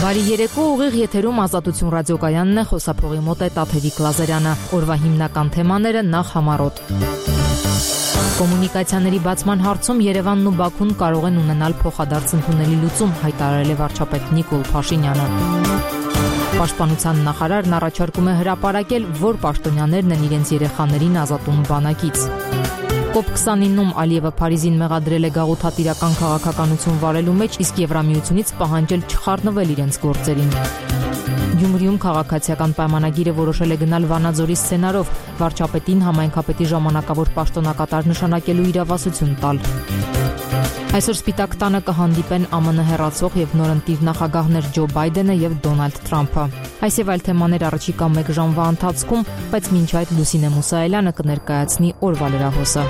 Բարի երեկո, ուղիղ եթերում Ազատություն ռադիոկայանն է, խոսափողի մոտ է Տաթևիկ Լազարյանը, օրվա հիմնական թեմաները նախ համառոտ։ Կոմունիկացիաների բացման հարցում Երևանն ու Բաքուն կարող են ունենալ փոխադարձ ընդունելի լուծում, հայտարարել է վարչապետ Նիկոլ Փաշինյանը։ Պաշտպանության նախարարն առաջարկում է հրապարակել, որ պաշտոնյաներն են իրենց երեխաներին ազատում բանակից։ COP29-ում Ալիևը Փարիզին մեղադրել է գաղութատիրական քաղաքականություն վարելու մեջ, իսկ Եվրամիությունից պահանջել չխառնվել իրենց գործերին։ Գյումրիում քաղաքացիական պայմանագիրը որոշել է գնալ Վանաձորի սցենարով, վարչապետին համայնքապետի ժամանակավոր պաշտոնակատար նշանակելու իրավասություն տալ։ Այսօր Սպիտակ տանը կհանդիպեն ԱՄՆ հեռացող եւ նորընտիր նախագահներ Ջո Բայդենը եւ Դոնալդ Թրամփը։ Այս եւ այլ թեմաներ առաջիկա 1 ժամվա ընթացքում, բայց մինչ այդ Լուսինե Մուսայելյանը կներկայացնի օրվա լրահոսը։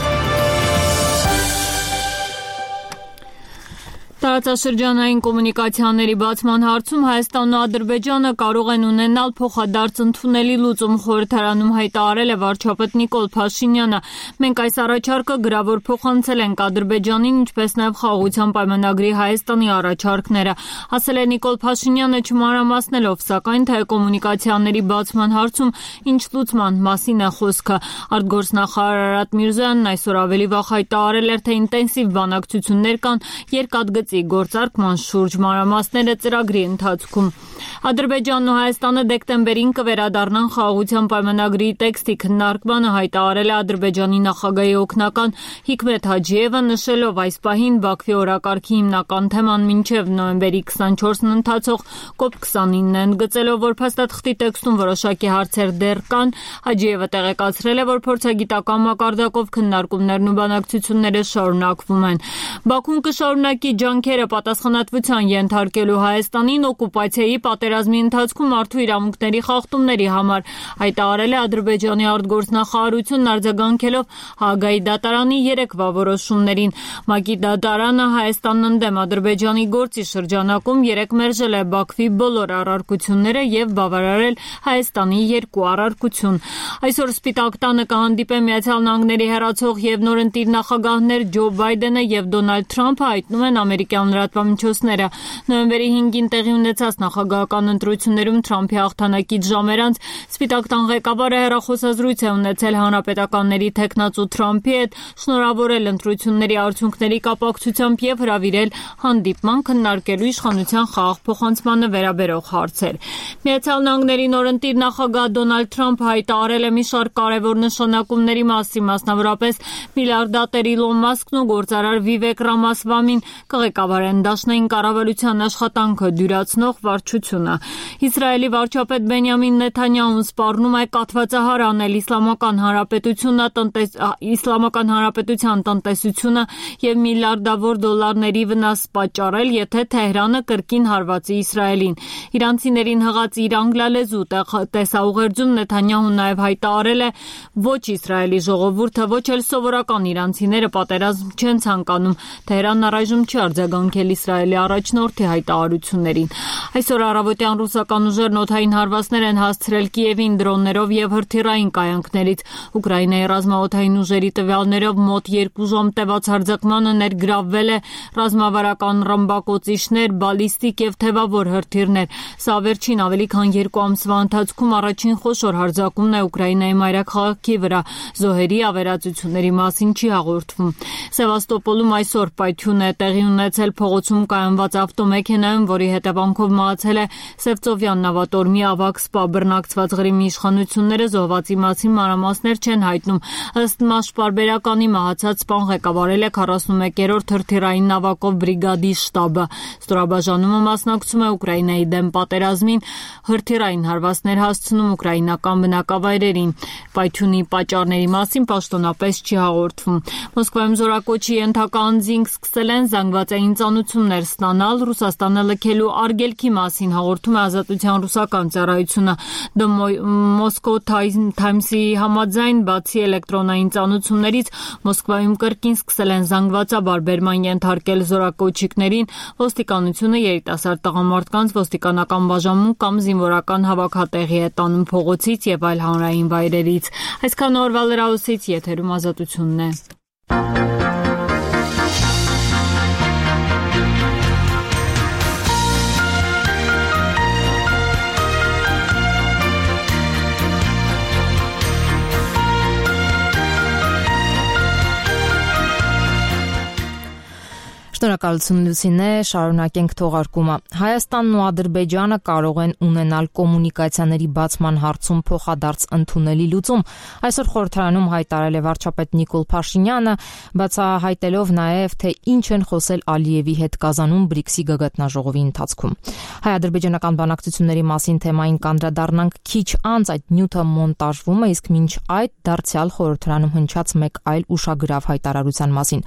Տարածաշրջանային կոմունիկացիաների բացման հարցում Հայաստանն ու Ադրբեջանը կարող են ունենալ փոխադարձ ընդունելի լուծում, խորհրդարանում հայտարարել է վարչապետ Նիկոլ Փաշինյանը։ Մենք այս առաջարկը գրավոր փոխանցել ենք Ադրբեջանին, ինչպես նաև Խաղաղության պայմանագրի Հայաստանի առաջարկները, ասել է Նիկոլ Փաշինյանը, չմանրամասնելով, սակայն թե կոմունիկացիաների բացման հարցում ինչ լուծման մասին է խոսքը։ Արտգործնախարար Արարատ Միրզոյանն այսօր ավելի վաղ հայտարարել էր, թե ինտենսիվ բանակցություններ կան երկաթգծի գործարկման շուրջ, մանրամասները ծրագրի ընթացքում։ Ադրբեջանն ու Հայաստանը դեկտեմբերին կվերադառնան Խաղաղության պայմանագրի տեքստի քննարկմանը, հայտարարել է Ադրբեջանի նախագահի օգնական Հիկմետ Հաջիևը, նշելով այս պահին Բաքվի օրակարգի հիմնական թեման մինչև նոյեմբերի 24-ն ընթացող COP29-ն է, ընդգծելով, որ փաստաթղթի տեքստում որոշակի հարցեր դեռ կան, Հաջիևը տեղեկացրել է, որ փորձագիտական մակարդակով քննարկումներն ու բանակցությունները շարունակվում են։ Բաքուն կշարունակի ջանքերը պատասխանատվության ենթարկելու Հայաստանին օկուպացիայի պատերազմի ընթացքում մարդու իրավունքների խախտումների համար, հայտարարել է Ադրբեջանի արտգործնախարարությունն արձագանքելով Հաագայի դատարանի երեկվա որոշումներին։ ՄԱԿ-ի դատարանը Հայաստանն ընդդեմ Ադրբեջանի գործի շրջանակում երեկ մերժել է Բաքվի բոլոր առարկությունները եւ բավարարել Հայաստանի 2 առարկություն։ Այսօր Սպիտակ տանը կհանդիպեն ԱՄՆ-ի հեռացող եւ նորընտիր նախագահներ Ջո Բայդենը եւ Դոնալդ Թրամփը, հայտնում են ամերիկյան լրատվամիջոցները։ Նոյեմբերի 5-ին տեղի ունեցած նախագահական ընտրություններում Թրամփի հաղթանակից ժամեր անց Սպիտակ տան ղեկավարը հեռախոսազրույց է ունեցել հանրապետականների թեկնածու Թրամփի հետ, շնորհավորել ընտրությունների արդյունքների կապակցությամբ եւ հրավիրել հանդիպման քննարկելու իշխանության խաղաղ փոխանցմանը վերաբերող հարցեր։ ԱՄՆ-ի նորընտիր նախագահ Դոնալդ Թրամփը հայտարարել է մի շարք կարևոր նշանակումների մասին, մասնավորապես միլիարդատեր Իլոն Մասկն ու գործարար Վիվեկ Ռամասվամին կղեկավարեն դաշնային կառավարության աշխատանքը դյուրացնող վարչությունը։ Իսրայելի վարչապետ Բենյամին Նեթանյահուն սպառնում է կաթվածահար անել Իսլամական Հանրապետության տնտեսությունը եւ միլիարդավոր դոլարների վնաս պատճառել, եթե Թեհրանը կրկին հարվածի Իսրայելին։ Իրանցիներին հղած իր անգլալեզու տեսաուղերձում Նեթանյահուն նաև հայտարարել է, ոչ Իսրայելի ժողովուրդը, ոչ էլ սովորական իրանցիները պատերազմ չեն ցանկանում։ Թեհրանն առայժմ չի արձագանքել Իսրայելի առաջնորդի հայտարարություններին։ Այսօր առավոտյան ռուսական ուժերն օդային հարվածներ են հասցրել Կիևին դրոններով եւ հրթիռային կայանքներից։ Ուկրաինայի ռազմաօդային ուժերի տվյալներով մոտ 2 ժամ տևած հարձակմանը ներգրավվել է ռազմավարական ռմբակոծիչներ, բալիստիկ եւ թևավոր հրթիռներ։ Սա վերջին ավելի քան 2 ամսվա ընթացքում առաջին խոշոր հարձակումն է Ուկրաինայի մայրաքաղաքի վրա։ Զոհերի ավերածությունների մասին չի հաղորդվում։ Սևաստոպոլում այսօր պայթյուն է տեղի ունեցել փողոցում կայանված ավտոմեքենայում, որի հետևանքով մահացել է Սևծովյան նավատորմի ավագ սպա։ Բռնակցված Ղրիմի իշխանությունները զոհվածի մասին մանրամասներ չեն հայտնում։ Ըստ ՄԱՇ պարբերականի մահացած սպան ղեկավարել է 41-րդ հրթիռային նավակով բրիգադի շտաբը։ Ստորաբաժանումը մասնակցում է Ուկրաինայի դեմ պատերազմին, հրթիռային հարվածներ հասցնում ուկրաինական բնակավայրերին։ Պայթյունի պատճառների մասին պաշտոնապես չի հաղորդվում։ Մոսկվայում զորակոչի ենթակա անձինք սկսել են զանգվածային ծանուցումներ ստանալ Ռուսաստանը լքելու արգելքի մասին, հաղորդում է Ազատության ռուսական ծառայությունը։ The Moscow Times-ի համաձայն, բացի էլեկտրոնային ծանուցումներից, Մոսկվայում կրկին սկսել են զանգվածաբար բերման ենթարկել զորակոչիկներին, ոստիկանությունը երիտասարդ տղամարդկանց ոստիկանական բաժանում կամ զինվորական հավաքատեղի է տանում փողոցից եւ այլ հանրային վայրերից։ Այսքան օրվա լրահոսից եթերում Ազատությունն է։ Շնորհակալություն Լուսինե, շարունակենք թողարկումը։ Հայաստանն ու Ադրբեջանը կարող են ունենալ կոմունիկացիաների բացման հարցում փոխադարձ ընդունելի լուծում։ Այսօր խորհրդարանում հայտարարել է վարչապետ Նիկոլ Փաշինյանը, բացահայտելով նաև թե ինչ են խոսել Ալիևի հետ Կազանում BRICS-ի գագաթնաժողովի ընթացքում։ Հայ-ադրբեջանական բանակցությունների մասին թեմային կանդրադառնանք քիչ անց, այդ նյութը մոնտաժվում է, իսկ մինչ այդ դարձյալ խորհրդարանում հնչած մեկ այլ ուշագրավ հայտարարության մասին։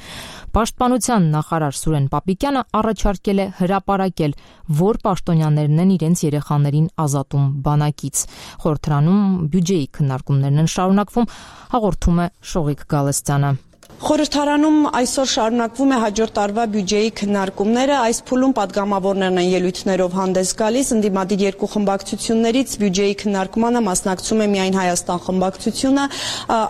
Պաշտպանության նախարար Սուրեն Պապիկյանը առաջարկել է հրապարակել, որ պաշտոնյաներն են իրենց երեխաներին ազատում բանակից։ Խորհրդարանում բյուջեի քննարկումներն են շարունակվում, հաղորդում է Շողիկ Գալստյանը։ Խորհրդարանում այսօր շարունակվում է հաջորդ տարվա բյուջեի քննարկումները, այս փուլում պատգամավորներն են ելույթներով հանդես գալիս, ընդդիմադիր երկու խմբակցություններից բյուջեի քննարկմանը մասնակցում է միայն Հայաստան խմբակցությունը,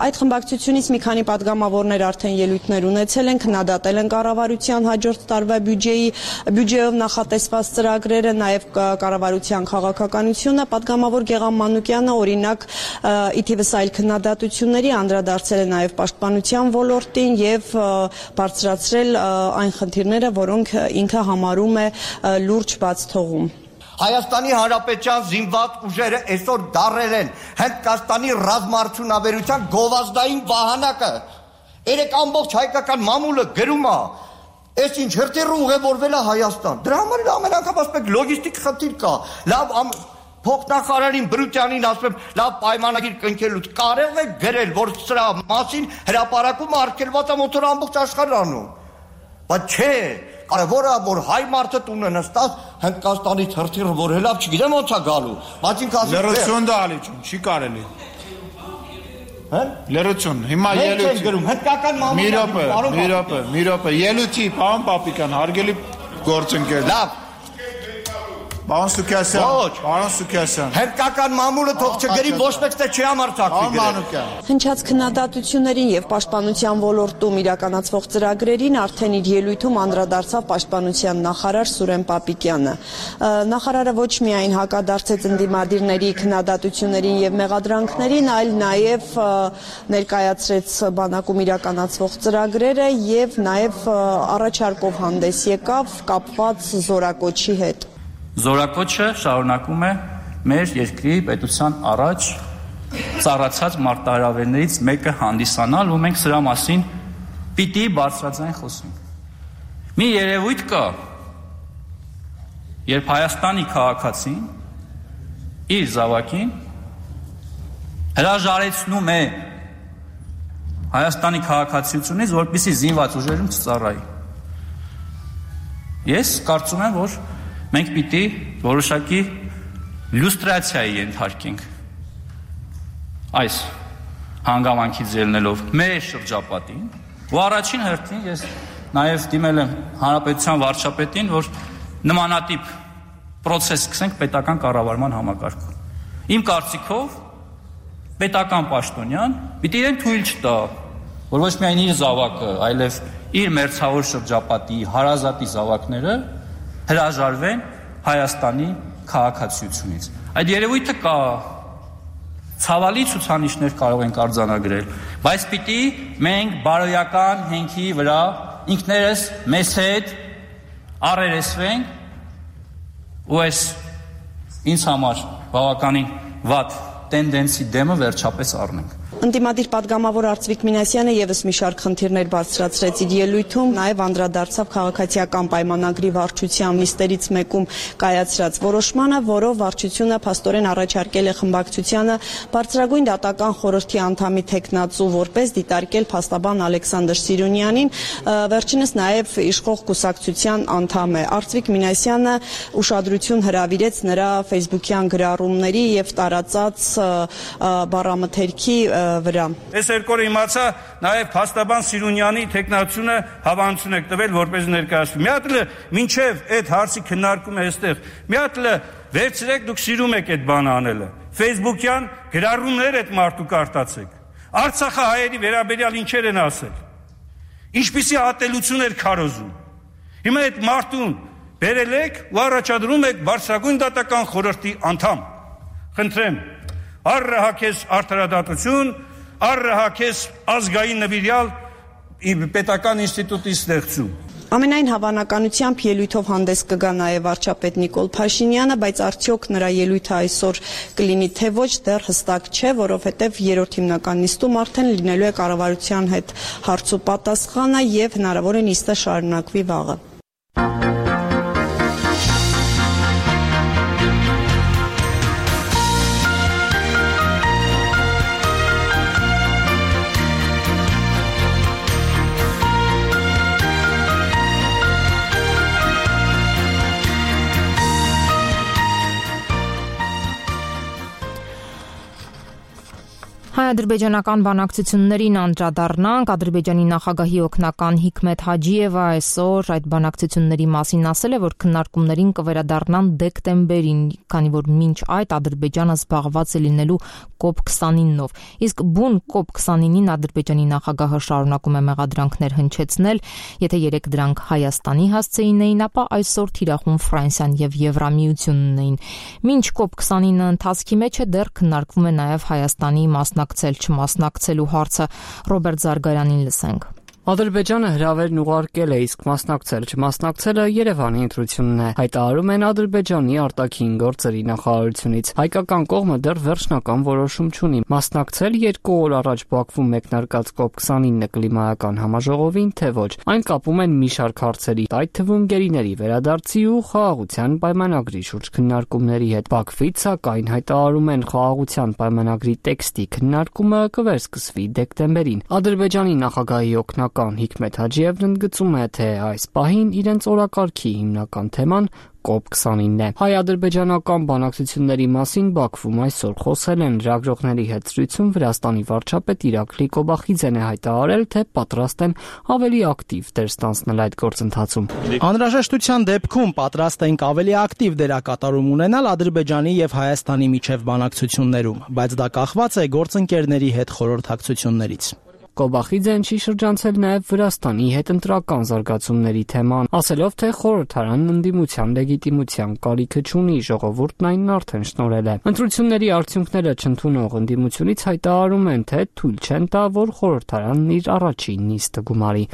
այդ խմբակցությունից մի քանի պատգամավորներ արդեն ելույթներ ունեցել են, քննադատել են կառավարության հաջորդ տարվա բյուջեով նախատեսված ծրագրերը, նաև կառավարության քաղաքականությունը, պատգամավոր Գեղամ Մանուկյանը օրինակ ի թիվս այլ քննադատությունների անդրադարձել է նաև պաշտպանության ոլորտ եւ բարձրացրել այն խնդիրները, որոնք ինքը համարում է լուրջ բաց թողում։ Հայաստանի Հանրապետության զինված ուժերը այսօր դարել են Հնդկաստանի ռազմաարդյունաբերության գովազդային վահանակը։ Երեք ամբողջ հայկական մամուլը գրում է, այս ինչ հրթիռը ուղևորվել է Հայաստան։ Դրա համար էլ ամեն անգամ ասում եք լոգիստիկ խնդիր կա։ Լավ Փոխնախարարին Բրուտյանին ասում եմ, լավ պայմանագիր կնքելուց կարել եք գրել, որ սրա մասին հրապարակումը արգելված է մոտոր ամբողջ աշխարհանում։ Բայց չէ, կարևորը որ հայ մարդը տունը նստած Հնդկաստանից հրթիռը որ հելավ, չգիտեմ ոնց է գալու։ Բայց ինքը ասում է լրություն դա ալիչուն, չի կարելի։ Հա՞։ Լրություն, հիմա ելույթ գրում, հնդկական մամուլը։ Մի րոպե, ելույթի, պարոն Պապիկյան, հարգելի գործընկեր։ Լավ։ Պարոն Սուքասյան։ Հնդկական մամուլը թող չգրի, ոչ մեկ թե չի համարձակվի գրել։ Հնչած քննադատություններին եւ պաշտպանության ոլորտում իրականացվող ծրագրերին արդեն իր ելույթում անդրադարձավ պաշտպանության նախարար Սուրեն Պապիկյանը։ Նախարարը ոչ միայն հակադարձեց ընդդիմադիրների քննադատություններին եւ մեղադրանքներին, այլ նաեւ ներկայացրեց բանակում իրականացվող ծրագրերը եւ նաեւ առաջարկով հանդես եկավ կապված զորակոչի հետ։ Զորակոչը շարունակում է մեր երկրի պետության առաջ ծառացած մարտահրավերներից մեկը հանդիսանալ, ու մենք սրա մասին պիտի բարձրաձայն խոսենք։ Մի երևույթ կա, երբ Հայաստանի քաղաքացին իր զավակին հրաժարեցնում է Հայաստանի քաղաքացիությունից, որպեսզի զինված ուժերում չծառայի։ Ես կարծում եմ, որ մենք պիտի որոշակի լյուստրացիայի ենթարկենք այս հանգամանքից ելնելով մեր շրջապատին, ու առաջին հերթին ես նաև դիմել եմ Հանրապետության վարչապետին, որ նմանատիպ պրոցես սկսենք պետական կառավարման համակարգում։ Իմ կարծիքով պետական պաշտոնյան պիտի իրեն թույլ չտա, որ ոչ միայն իր զավակը, այլև իր մերձավոր շրջապատի հարազատի զավակները հրաժարվեն Հայաստանի քաղաքացիությունից։ Այդ երևույթը կա, ցավալի ցուցանիշներ կարող ենք արձանագրել, բայց պիտի մենք բարոյական հենքի վրա ինքներս մեզ հետ առերեսվենք ու այս ինձ համար բավականին վատ տենդենսի դեմը վերջապես առնենք։ Ընդդիմադիր պատգամավոր Արծվիկ Մինասյանը եւս մի շարք խնդիրներ բարձրացրեց իր ելույթում, նաև անդրադարձավ քաղաքացիական պայմանագրի վարչության նիստերից մեկում կայացրած որոշմանը, որով վարչությունը փաստորեն առաջարկել է խմբակցությանը բարձրագույն դատական խորհրդի անդամի թեկնածու որպես դիտարկել փաստաբան Ալեքսանդր Սիրունյանին, վերջինս նաև իշխող կուսակցության անդամ է։ Արծվիկ Մինասյանը ուշադրություն հրավիրեց նրա ֆեյսբուքյան գրառումների եւ տարածած բառամթերքի վրա։ Այս երկու օրը իմացա նաև փաստաբան Սիրունյանի տեխնացությունը հավանություն եք տվել որպես ներկայացում։ Մի հատ մինչև այդ հարցի քննարկումը այստեղ։ Մի հատ վերցրեք դուք սիրում եք այդ բանը անելը։ Facebook-յան գրառումներ այդ մարդու կարտացեք։ Արցախի հայերի վերաբերյալ ինչեր են ասել։ Ինչպիսի ատելություն էր քարոզում։ Հիմա այդ մարդուն բերել եք ու առաջադրում եք բարձրագույն դատական խորհրդի անդամ։ Խնդրեմ առհակես արդարադատություն, առհակես ազգային նվիրյալ պետական ինստիտուտի ստեղծում։ Ամենայն հավանականությամբ ելույթով հանդես կգա նաև վարչապետ Նիկոլ Փաշինյանը, բայց արդյոք նրա ելույթը այսօր կլինի թե ոչ, դեռ հստակ չէ, որովհետև երրորդ հիմնական նիստում արդեն լինելու է կառավարության հետ հարց ու պատասխանը եւ հնարավոր է նիստը շարունակվի վաղը։ Հայ-ադրբեջանական բանակցություններին անդրադառնանք, Ադրբեջանի նախագահի օգնական Հիկմեթ Հաջիևը այսօր այդ բանակցությունների մասին ասել է, որ քննարկումներին կվերադառնան դեկտեմբերին, քանի որ մինչ այդ Ադրբեջանը զբաղված է լինելու COP29-ով։ Իսկ բուն COP29-ին Ադրբեջանի նախագահը շարունակում է մեղադրանքներ հնչեցնել, եթե երեք դրանք Հայաստանի հասցեին էին, ապա այսօր թիրախում Ֆրանսիան եւ Եվրամիությունն էին։ Մինչ COP29-ը ընթացքի մեջ է, դեռ քննարկվում է նաեւ Հայաստանի չմասնակցելու հարցը։ Ռոբերտ Զարգարյանին լսենք։ Ադրբեջանը հրավերն ուղարկել է, իսկ չմասնակցելը Երևանի ընտրությունն է, հայտարարում են Ադրբեջանի արտաքին գործերի նախարարությունից։ Հայկական կողմը դեռ վերջնական որոշում չունի մասնակցել 2 օր առաջ Բաքվում մեկնարկած COP29 կլիմայական համաժողովին, թե ոչ։ Այն կապում են մի շարք հարցերի, այդ թվում գերիների վերադարձի ու խաղաղության պայմանագրի շուրջ քննարկումների հետ։ Բաքվից, սակայն, հայտարարում են խաղաղության պայմանագրի տեքստի քննարկումը կվերսկսվի դեկտեմբերին։ Ադրբեջանի նախագահի օգնական Հիկմեթ Հաջիևն ընդգծում է, թե այս պահին իրենց օրակարգի հիմնական թեման COP29-ն է։ Հայ-ադրբեջանական բանակցությունների մասին Բաքվում այսօր խոսել են լրագրողների հետ զրույցում Վրաստանի վարչապետ Իրաքլի Կոբախիձեն է հայտարարել, թե պատրաստ են ավելի ակտիվ դեր ստանձնել այդ գործընթացում։ Անհրաժեշտության դեպքում պատրաստ ենք ավելի ակտիվ դերակատարում ունենալ Ադրբեջանի եւ Հայաստանի միջև բանակցություններում, բայց դա կախված է գործընկերների հետ խորհրդակցություններից։ Կոբախիձեն չի շրջանցել նաև Վրաստանի հետ ընտրական զարգացումների թեման, ասելով, թե խորհրդարանն ընդդիմության լեգիտիմության կարիքը չունի, ժողովուրդն այն արդեն շնորհել է։ Ընտրությունների արդյունքները չընդունող ընդդիմությունից հայտարարում են, թե թույլ չեն տա, որ խորհրդարանն իր առաջին նիստը գումարի։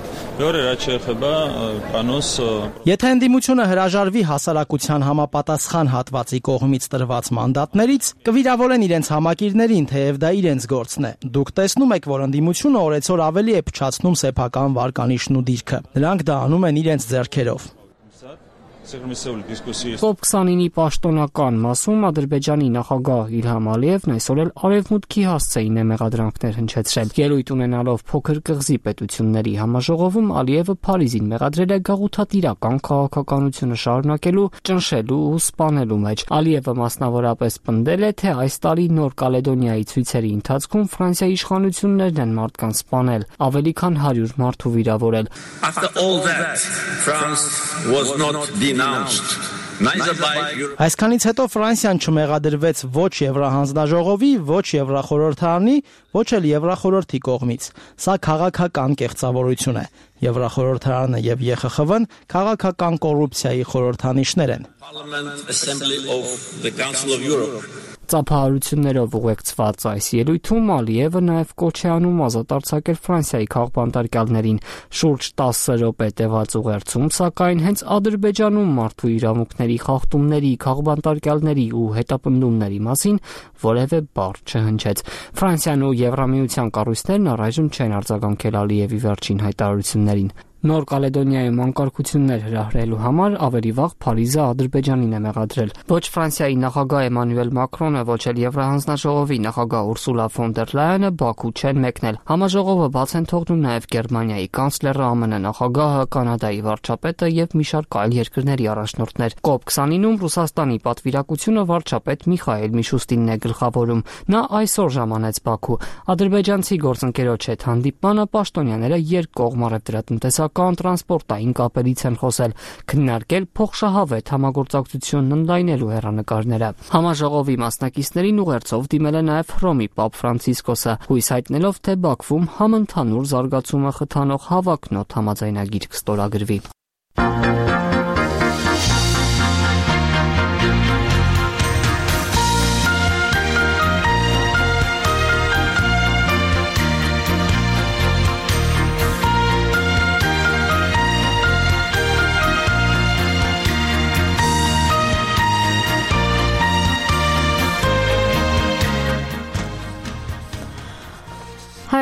Եթե ընդդիմությունը հրաժարվի հասարակության համապատասխան հատվածի կողմից տրված մանդատներից, կվիրավորեն իրենց համակիրներին, թեև դա իրենց գործն է։ Դուք տեսնում եք, որ ընդդիմությունը օրեցօր ավելի է փչացնում սեփական վարկանիշն ու դիրքը։ Նրանք դա անում են իրենց ձեռքերով։ COP29-ի պաշտոնական մասում Ադրբեջանի նախագահ Իլհամ Ալիևն այսօր էլ Արևմուտքի հասցեին է մեղադրանքներ հնչեցրել։ Ելույթ ունենալով փոքր կղզի պետությունների համաժողովում Ալիևը Փարիզին մեղադրել է գաղութատիրական քաղաքականությունը շարունակելու, ճնշելու ու սպանելու մեջ։ Ալիևը մասնավորապես պնդել է, թե այս տարի Նոր Կալեդոնիայի ցույցերի ընթացքում Ֆրանսիայի իշխանություններն են մարդկանց սպանել, ավելի քան 100 մարդու վիրավորել։ Այսքանից հետո Ֆրանսիան չմեղադրվեց ոչ Եվրահանձնաժողովի, ոչ Եվրախորհրդարանի, ոչ էլ Եվրախորհրդի կողմից։ Սա քաղաքական կեղծավորություն է։ Եվրախորհրդարանը եւ ԵԽԽՎ-ն քաղաքական կոռուպցիայի խորհրդանիշներ են։ Ծափահարություններով ուղեկցված այս ելույթում Ալիևը նաև կոչ է անում ազատ արձակել Ֆրանսիայի քաղբանտարկյալներին։ Շուրջ 10 րոպե տևած ուղերձում, սակայն, հենց Ադրբեջանում մարդու իրավունքների խախտումների, քաղբանտարկյալների ու հետապնդումների մասին որևէ բառ չհնչեց։ Ֆրանսիան ու Եվրամիության կառույցներն առայժմ չեն արձագանքել Ալիևի վերջին հայտարարություններին։ Նոր Կալեդոնիայում անկարգություններ հրահրելու համար ավելի վաղ Փարիզը Ադրբեջանին է մեղադրել։ Ոչ Ֆրանսիայի նախագահ Էմանուել Մակրոնը, ոչ էլ Եվրահանձնաժողովի նախագահ Ուրսուլա ֆոն դեր Լայենը Բաքու չեն մեկնել։ Համաժողովը բաց են թողնում նաև Գերմանիայի կանցլերը, ԱՄՆ նախագահը, Կանադայի վարչապետը եւ մի շարք այլ երկրների առաջնորդներ։ COP29-ում Ռուսաստանի պատվիրակությունը վարչապետ Միխայել Միշուստինն է գլխավորում։ Նա այսօր ժամանեց Բաքու։ Ադրբեջանցի գործընկերոջ հետ հանդիպմանը պաշտոնյաները երկկողմ առևտրատնտեսական տրանսպորտային կապերից են խոսել, քննարկել փոխշահավետ համագործակցությունն ընդլայնելու հեռանկարները։ Համաժողովի մասնակիցներին ուղերձով դիմել է նաև Հռոմի Պապ Ֆրանցիսկոսը, հույս հայտնելով, թե Բաքվում համընդհանուր զարգացումը խթանող հավակնոտ համաձայնագիր կստորագրվի։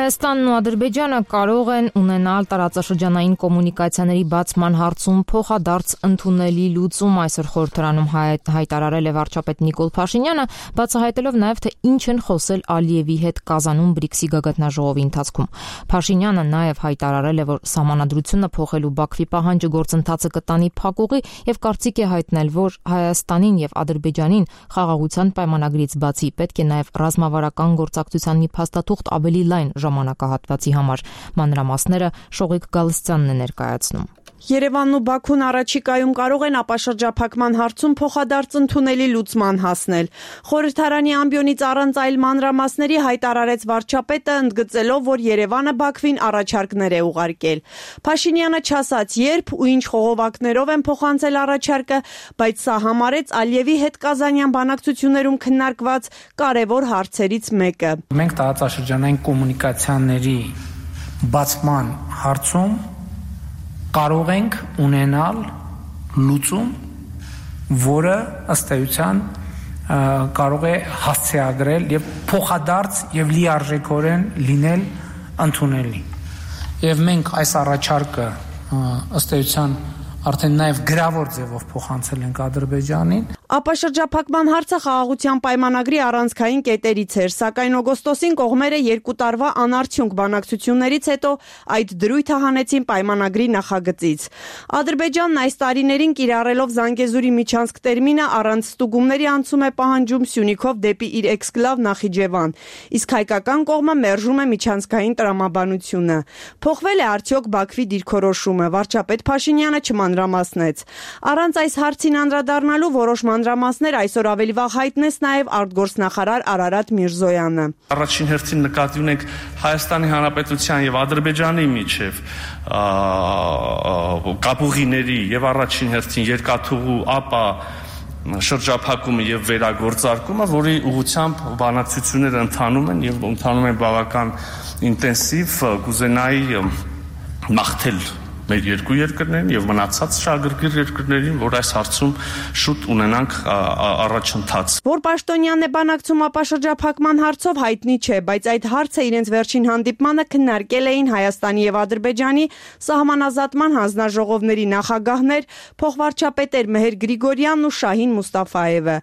Հայաստանն ու Ադրբեջանը կարող են ունենալ տարածաշրջանային կոմունիկացիաների բացման հարցում փոխադարձ ընդունելի լուծում, այսօր խորհրդարանում հայտարարել է վարչապետ Նիկոլ Փաշինյանը, բացահայտելով նաև թե ինչ են խոսել Ալիևի հետ Կազանում BRICS-ի գագաթնաժողովի ընթացքում։ Փաշինյանը նաև հայտարարել է, որ սահմանադրությունը փոխելու Բաքվի պահանջը գործընթացը կտանի փակուղի եւ կարծիք է հայտնել, որ Հայաստանին եւ Ադրբեջանին խաղաղության պայմանագրից բացի պետք է նաև ռազմավարական գործակցության մի փաստաթուղթ ավելի լայն ժամանակահատվածի համար։ Մանրամասները Շողիկ Գալստյանն է ներկայացնում։ Երևանն ու Բաքուն առաջիկայում կարող են ապաշրջափակման հարցում փոխադարձ ընդունելի լուծման հասնել։ Խորհրդարանի ամբիոնից առանց այլ մանրամասների հայտարարեց վարչապետը, ընդգծելով, որ Երևանը Բաքվին առաջարկներ է ուղարկել։ Փաշինյանը չասաց երբ ու ինչ խողովակներով են փոխանցել առաջարկը, բայց սա համարեց Ալիևի հետ կազանյան բանակցություններում քննարկված կարևոր հարցերից մեկը։ Մենք տարածաշրջանային կոմունիկացիաների բացման հարցում կարող ենք ունենալ լուծում, որը ըստ էության կարող է հասցեագրել եւ փոխադարձ եւ լիարժեքորեն լինել ընդունելի։ Եվ մենք այս առաջարկը ըստ էության արդեն նաև գրավոր ձևով փոխանցել ենք Ադրբեջանին։ Ապաշրջափակման հարցը խաղաղության պայմանագրի առանցքային կետերից էր, սակայն օգոստոսին կողմերը 2 տարվա անարդյունք բանակցություններից հետո այդ դրույթը հանեցին պայմանագրի նախագծից։ Ադրբեջանն այս տարիներին կիրառելով Զանգեզուրի միջանցք տերմինը առանց ստուգումների անցում է պահանջում Սյունիքով դեպի իր էքսկլավ Նախիջևան, իսկ հայկական կողմը մերժում է միջանցքային տրամաբանությունը։ Փոխվել է արդյոք Բաքվի դիրքորոշումը, վարչապետ Փաշինյանը չմանրամասնեց։ Առանց այս հարցին անդրադառնալու որոշ մանրամասներ այսօր ավելի վաղ հայտնեց նաև արտգործնախարար Արարատ Միրզոյանը։ Առաջին հերթին նկատի ունենք Հայաստանի Հանրապետության եւ Ադրբեջանի միջև կապուղիների եւ առաջին հերթին երկաթուղու ապա շրջափակումը եւ վերագործարկումը, որի ուղղությամբ բանակցությունները ընթանում են եւ ընթանում են բավական ինտենսիվ, կուզենայի մաղթել մեր երկու երկրներին եւ մնացած շահագրգիռ երկրներին, որ այս հարցում շուտ ունենանք առաջընթաց։ Որ պաշտոնյանն է բանակցում ապաշրջափակման հարցով հայտնի չէ, բայց այդ հարցը իրենց վերջին հանդիպմանը քննարկել էին Հայաստանի եւ Ադրբեջանի սահմանազատման հանձնաժողովների նախագահներ, փոխվարչապետեր Մեհեր Գրիգորյանն ու Շահին Մուստաֆաևը։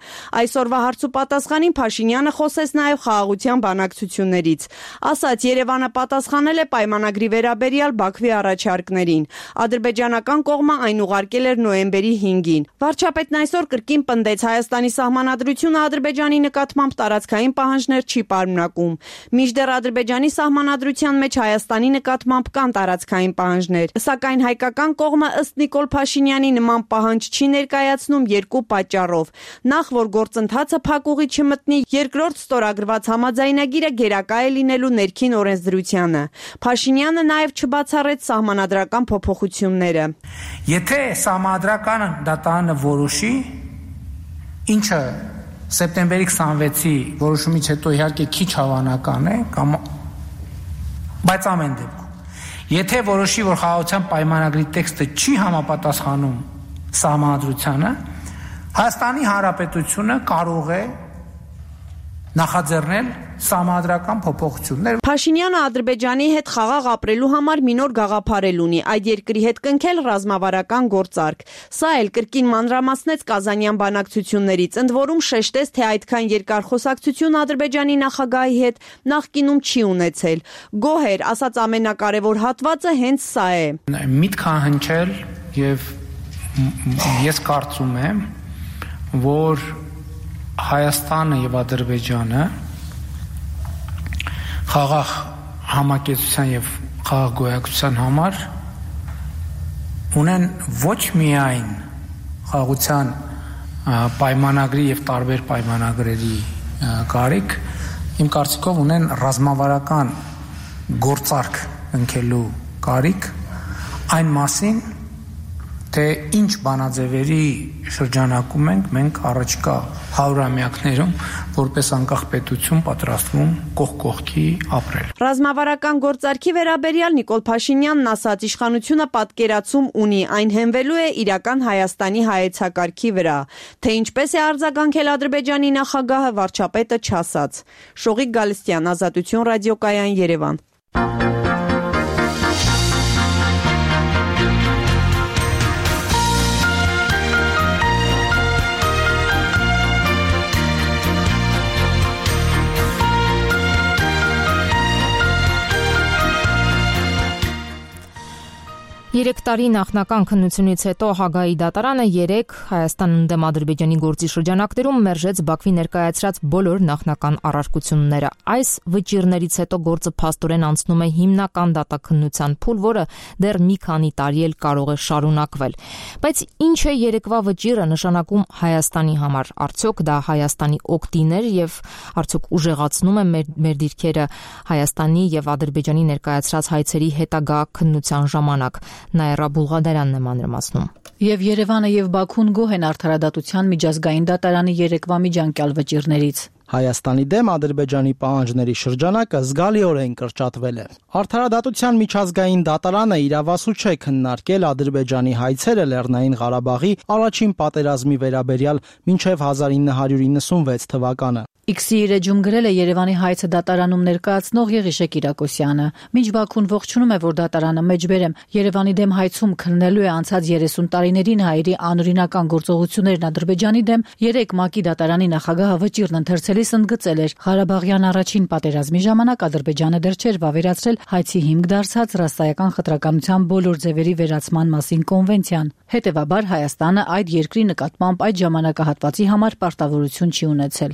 Այսօրվա հարցու պատասխանին Փաշինյանը խոսեց նաեւ խաղաղության բանակցություններից։ Ասաց Երևանը պատասխանել է պայմանագրի վերաբերյալ Բաքվի առաջարկներին։ Ադրբեջանական կողմը այն ուղարկել էր նոյեմբերի 5-ին։ Վարչապետն այսօր կրկին պնդեց Հայաստանի սահմանադրությունը Ադրբեջանի նկատմամբ տարածքային պահանջներ չի պարունակում։ Մինչդեռ Ադրբեջանի սահմանադրության մեջ Հայաստանի նկատմամբ կան տարածքային պահանջներ, սակայն հայկական կողմը ըստ Նիկոլ Փաշինյանի նման պահանջ չի ներկայացնում երկու պատճառով։ Նախ, որ գործընթացը փակուղի չմտնի, երկրորդ ստորագրված համաձայնագիրը գերակա է լինելու ներքին օրենսդրությանը։ Փաշինյանը նաև չբացառեց սահմանադրական փոփոխությունները։ Եթե սահմանադրական դատանը որոշի, ինչը սեպտեմբերի 26-ի որոշումից հետո իհարկե քիչ հավանական է, բայց ամեն դեպքում, եթե որոշի, որ խաղաղության պայմանագրի տեքստը չի համապատասխանում սահմանադրությանը, Հայաստանի Հանրապետությունը կարող է նախաձեռնել սահմանադրական փոփոխություններ։ Փաշինյանը Ադրբեջանի հետ խաղաղ ապրելու համար մի նոր գաղափարել ունի, այդ երկրի հետ կնքել ռազմավարական գործարք։ Սա էլ կրկին մանրամասնեց կազանյան բանակցություններից, ընդ որում շեշտեց, թե այդքան երկար խոսակցություն Ադրբեջանի նախագահի հետ նախկինում չի ունեցել։ Գոհ էր, ասաց ամենակարևոր հատվածը հենց սա է։ Միտք հնչել եւ ես կարծում եմ, որ Հայաստանը եւ Ադրբեջանը խաղաղ համակեցության եւ խաղաղ գոյակցության համար ունեն ոչ միայն խաղաղության պայմանագրի եւ տարբեր պայմանագրերի կարիք, իմ կարծիքով ունեն ռազմավարական գործարք ընկելու կարիք այն մասին, թե ինչ բանաձևերի շրջանակում մենք առաջիկա 100-ամյակներում որպես անկախ պետություն պատրաստվում կողք կողքի ապրել։ Ռազմավարական գործարքի վերաբերյալ Նիկոլ Փաշինյանն ասաց, իշխանությունը պատկերացում ունի, այն հենվելու է իրական Հայաստանի հայեցակարգի վրա, թե ինչպես է արձագանքել Ադրբեջանի նախագահը, վարչապետը չասաց։ Շողիկ Գալստյան, Ազատություն ռադիոկայան, Երևան։ Երեք տարի նախնական քննությունից հետո Հագայի դատարանը 3 Հայաստանն դեմ Ադրբեջանի գործի շրջանակներում մերժեց Բաքվի ներկայացրած բոլոր նախնական առարկությունները։ Այս վճիռներից հետո գործը փաստորեն անցնում է հիմնական դատաքննության փուլ, որը դեռ մի քանի տարի էլ կարող է շարունակվել։ Բայց ինչ է երեկվա վճիռը նշանակում Հայաստանի համար։ Արդյոք դա Հայաստանի օգտին էր եւ արդյոք ուժեղացնում է մեր դիրքերը Հայաստանի եւ Ադրբեջանի ներկայացրած հայցերի հետագա քննության ժամանակ։ Նաիրա Բուլղադարյանն է մանրամասնում։ Եվ Երևանը եւ Բաքուն գոհ են արդարադատության միջազգային դատարանի երեկվա միջանկյալ վճիռներից։ Հայաստանի դեմ Ադրբեջանի պահանջների շրջանակը զգալիորեն կրճատվել է։ Արդարադատության միջազգային դատարանը իրավասու չէ քննարկել Ադրբեջանի հայցերը Լեռնային Ղարաբաղի առաջին պատերազմի վերաբերյալ մինչև 1996 թվականը։ X-ի իր էջում գրել է Երևանի հայցը դատարանում ներկայացնող Եղիշե Կիրակոսյանը։ Մինչ Բաքուն ողջունում է, որ դատարանը մեջբերեմ Երևանի դեմ հայցում քննելու է անցած 30 տարիներին հայերի անօրինական գործողություններն Ադրբեջանի դեմ, 3 ՄԱԿ-ի դատարանի նախագահը վճիռն ընթերցելիս ընդգծել էր. Ղարաբաղյան առաջին պատերազմի ժամանակ Ադրբեջանը դեռ չէր վավերացրել հայցի հիմք դարձած ռասայական խտրականության բոլոր ձևերի վերացման մասին կոնվենցիան։ Հետևաբար Հայաստանը այդ երկրի նկատմամբ այդ ժամանակահատվածի համար պարտավորություն չի ունեցել։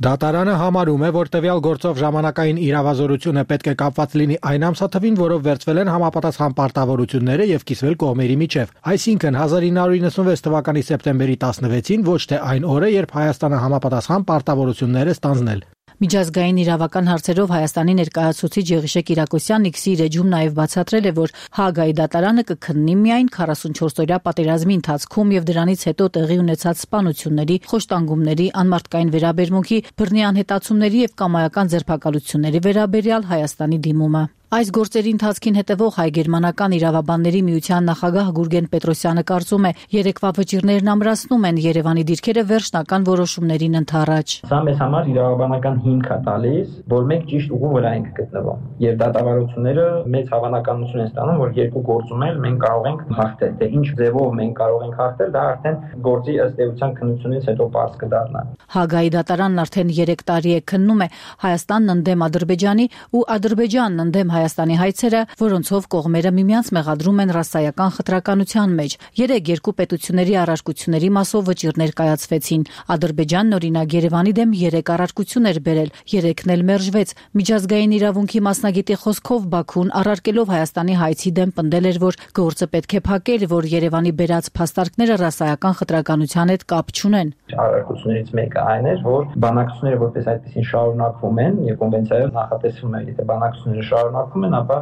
Դատարանը համարում է, որ տվյալ գործով ժամանակային իրավազորությունը պետք է կապված լինի այն ամսաթվին, որով վերցվել են համապատասխան պարտավորությունները եւ կիսվել կողմերի միջև։ Այսինքն 1996 թվականի սեպտեմբերի 16-ին, ոչ թե այն օրը, երբ Հայաստանը համապատասխան պարտավորությունները ստանձնել։ Միջազգային իրավական հարցերով Հայաստանի ներկայացուցիչ Եղիշե Կիրակոսյանն X-ի իր էջում նաև բացատրել է, որ Հագայի դատարանը կքննի միայն 44-օրյա պատերազմի ընթացքում եւ դրանից հետո տեղի ունեցած սպանությունների, խոշտանգումների, անմարդկային վերաբերմունքի, բռնի անհետացումների եւ կամայական ձերբակալությունների վերաբերյալ Հայաստանի դիմումը։ Այս գործերի ընթացքին հետևող հայ-գերմանական իրավաբանների միության նախագահ Գուրգեն Պետրոսյանը կարծում է, երեկվա վճիռներն ամրացնում են Երևանի դիրքերը վերջնական որոշումներին ընդառաջ։ Սա մեզ համար իրավաբանական հիմք է տալիս, որ մենք ճիշտ ուղու վրա ենք գտնվում։ Եվ դատավարությունները մեծ հավանականություն են ստանում, որ երկու գործում էլ մենք կարող ենք հաղթել։ Դե ինչ ձևով մենք կարող ենք հաղթել, դա արդեն գործի ըստ էության քննությունից հետո պարզ կդառնա։ Հագայի դատարանն արդեն 3 տարի է քննում է Հայաստանն ընդդեմ Ադրբեջանի ու Ադրբեջանն ընդդեմ Հայաստանի հայցերը, որոնցով կողմերը միմյանց մեղադրում են ռասայական խտրականության մեջ։ 3 երկու պետությունների առարկությունների մասով վճիռներ կայացվեցին։ Ադրբեջանն օրինակ Երևանի դեմ 3 առարկություն էր բերել, 3-ն էլ մերժվեց։ Միջազգային իրավունքի մասնագետի խոսքով Բաքուն առարկելով Հայաստանի հայցի դեմ պնդել էր, որ գործը պետք է փակել, որ Երևանի բերած փաստարկները ռասայական խտրականության հետ կապ չունեն։ Առարկություններից մեկը այն էր, որ բանակցությունները որպես այդպեսին շարունակվում են եւ կոնվենցիայով նախատեսվում է, եթե բանակցությունները շարունակվում են, ապա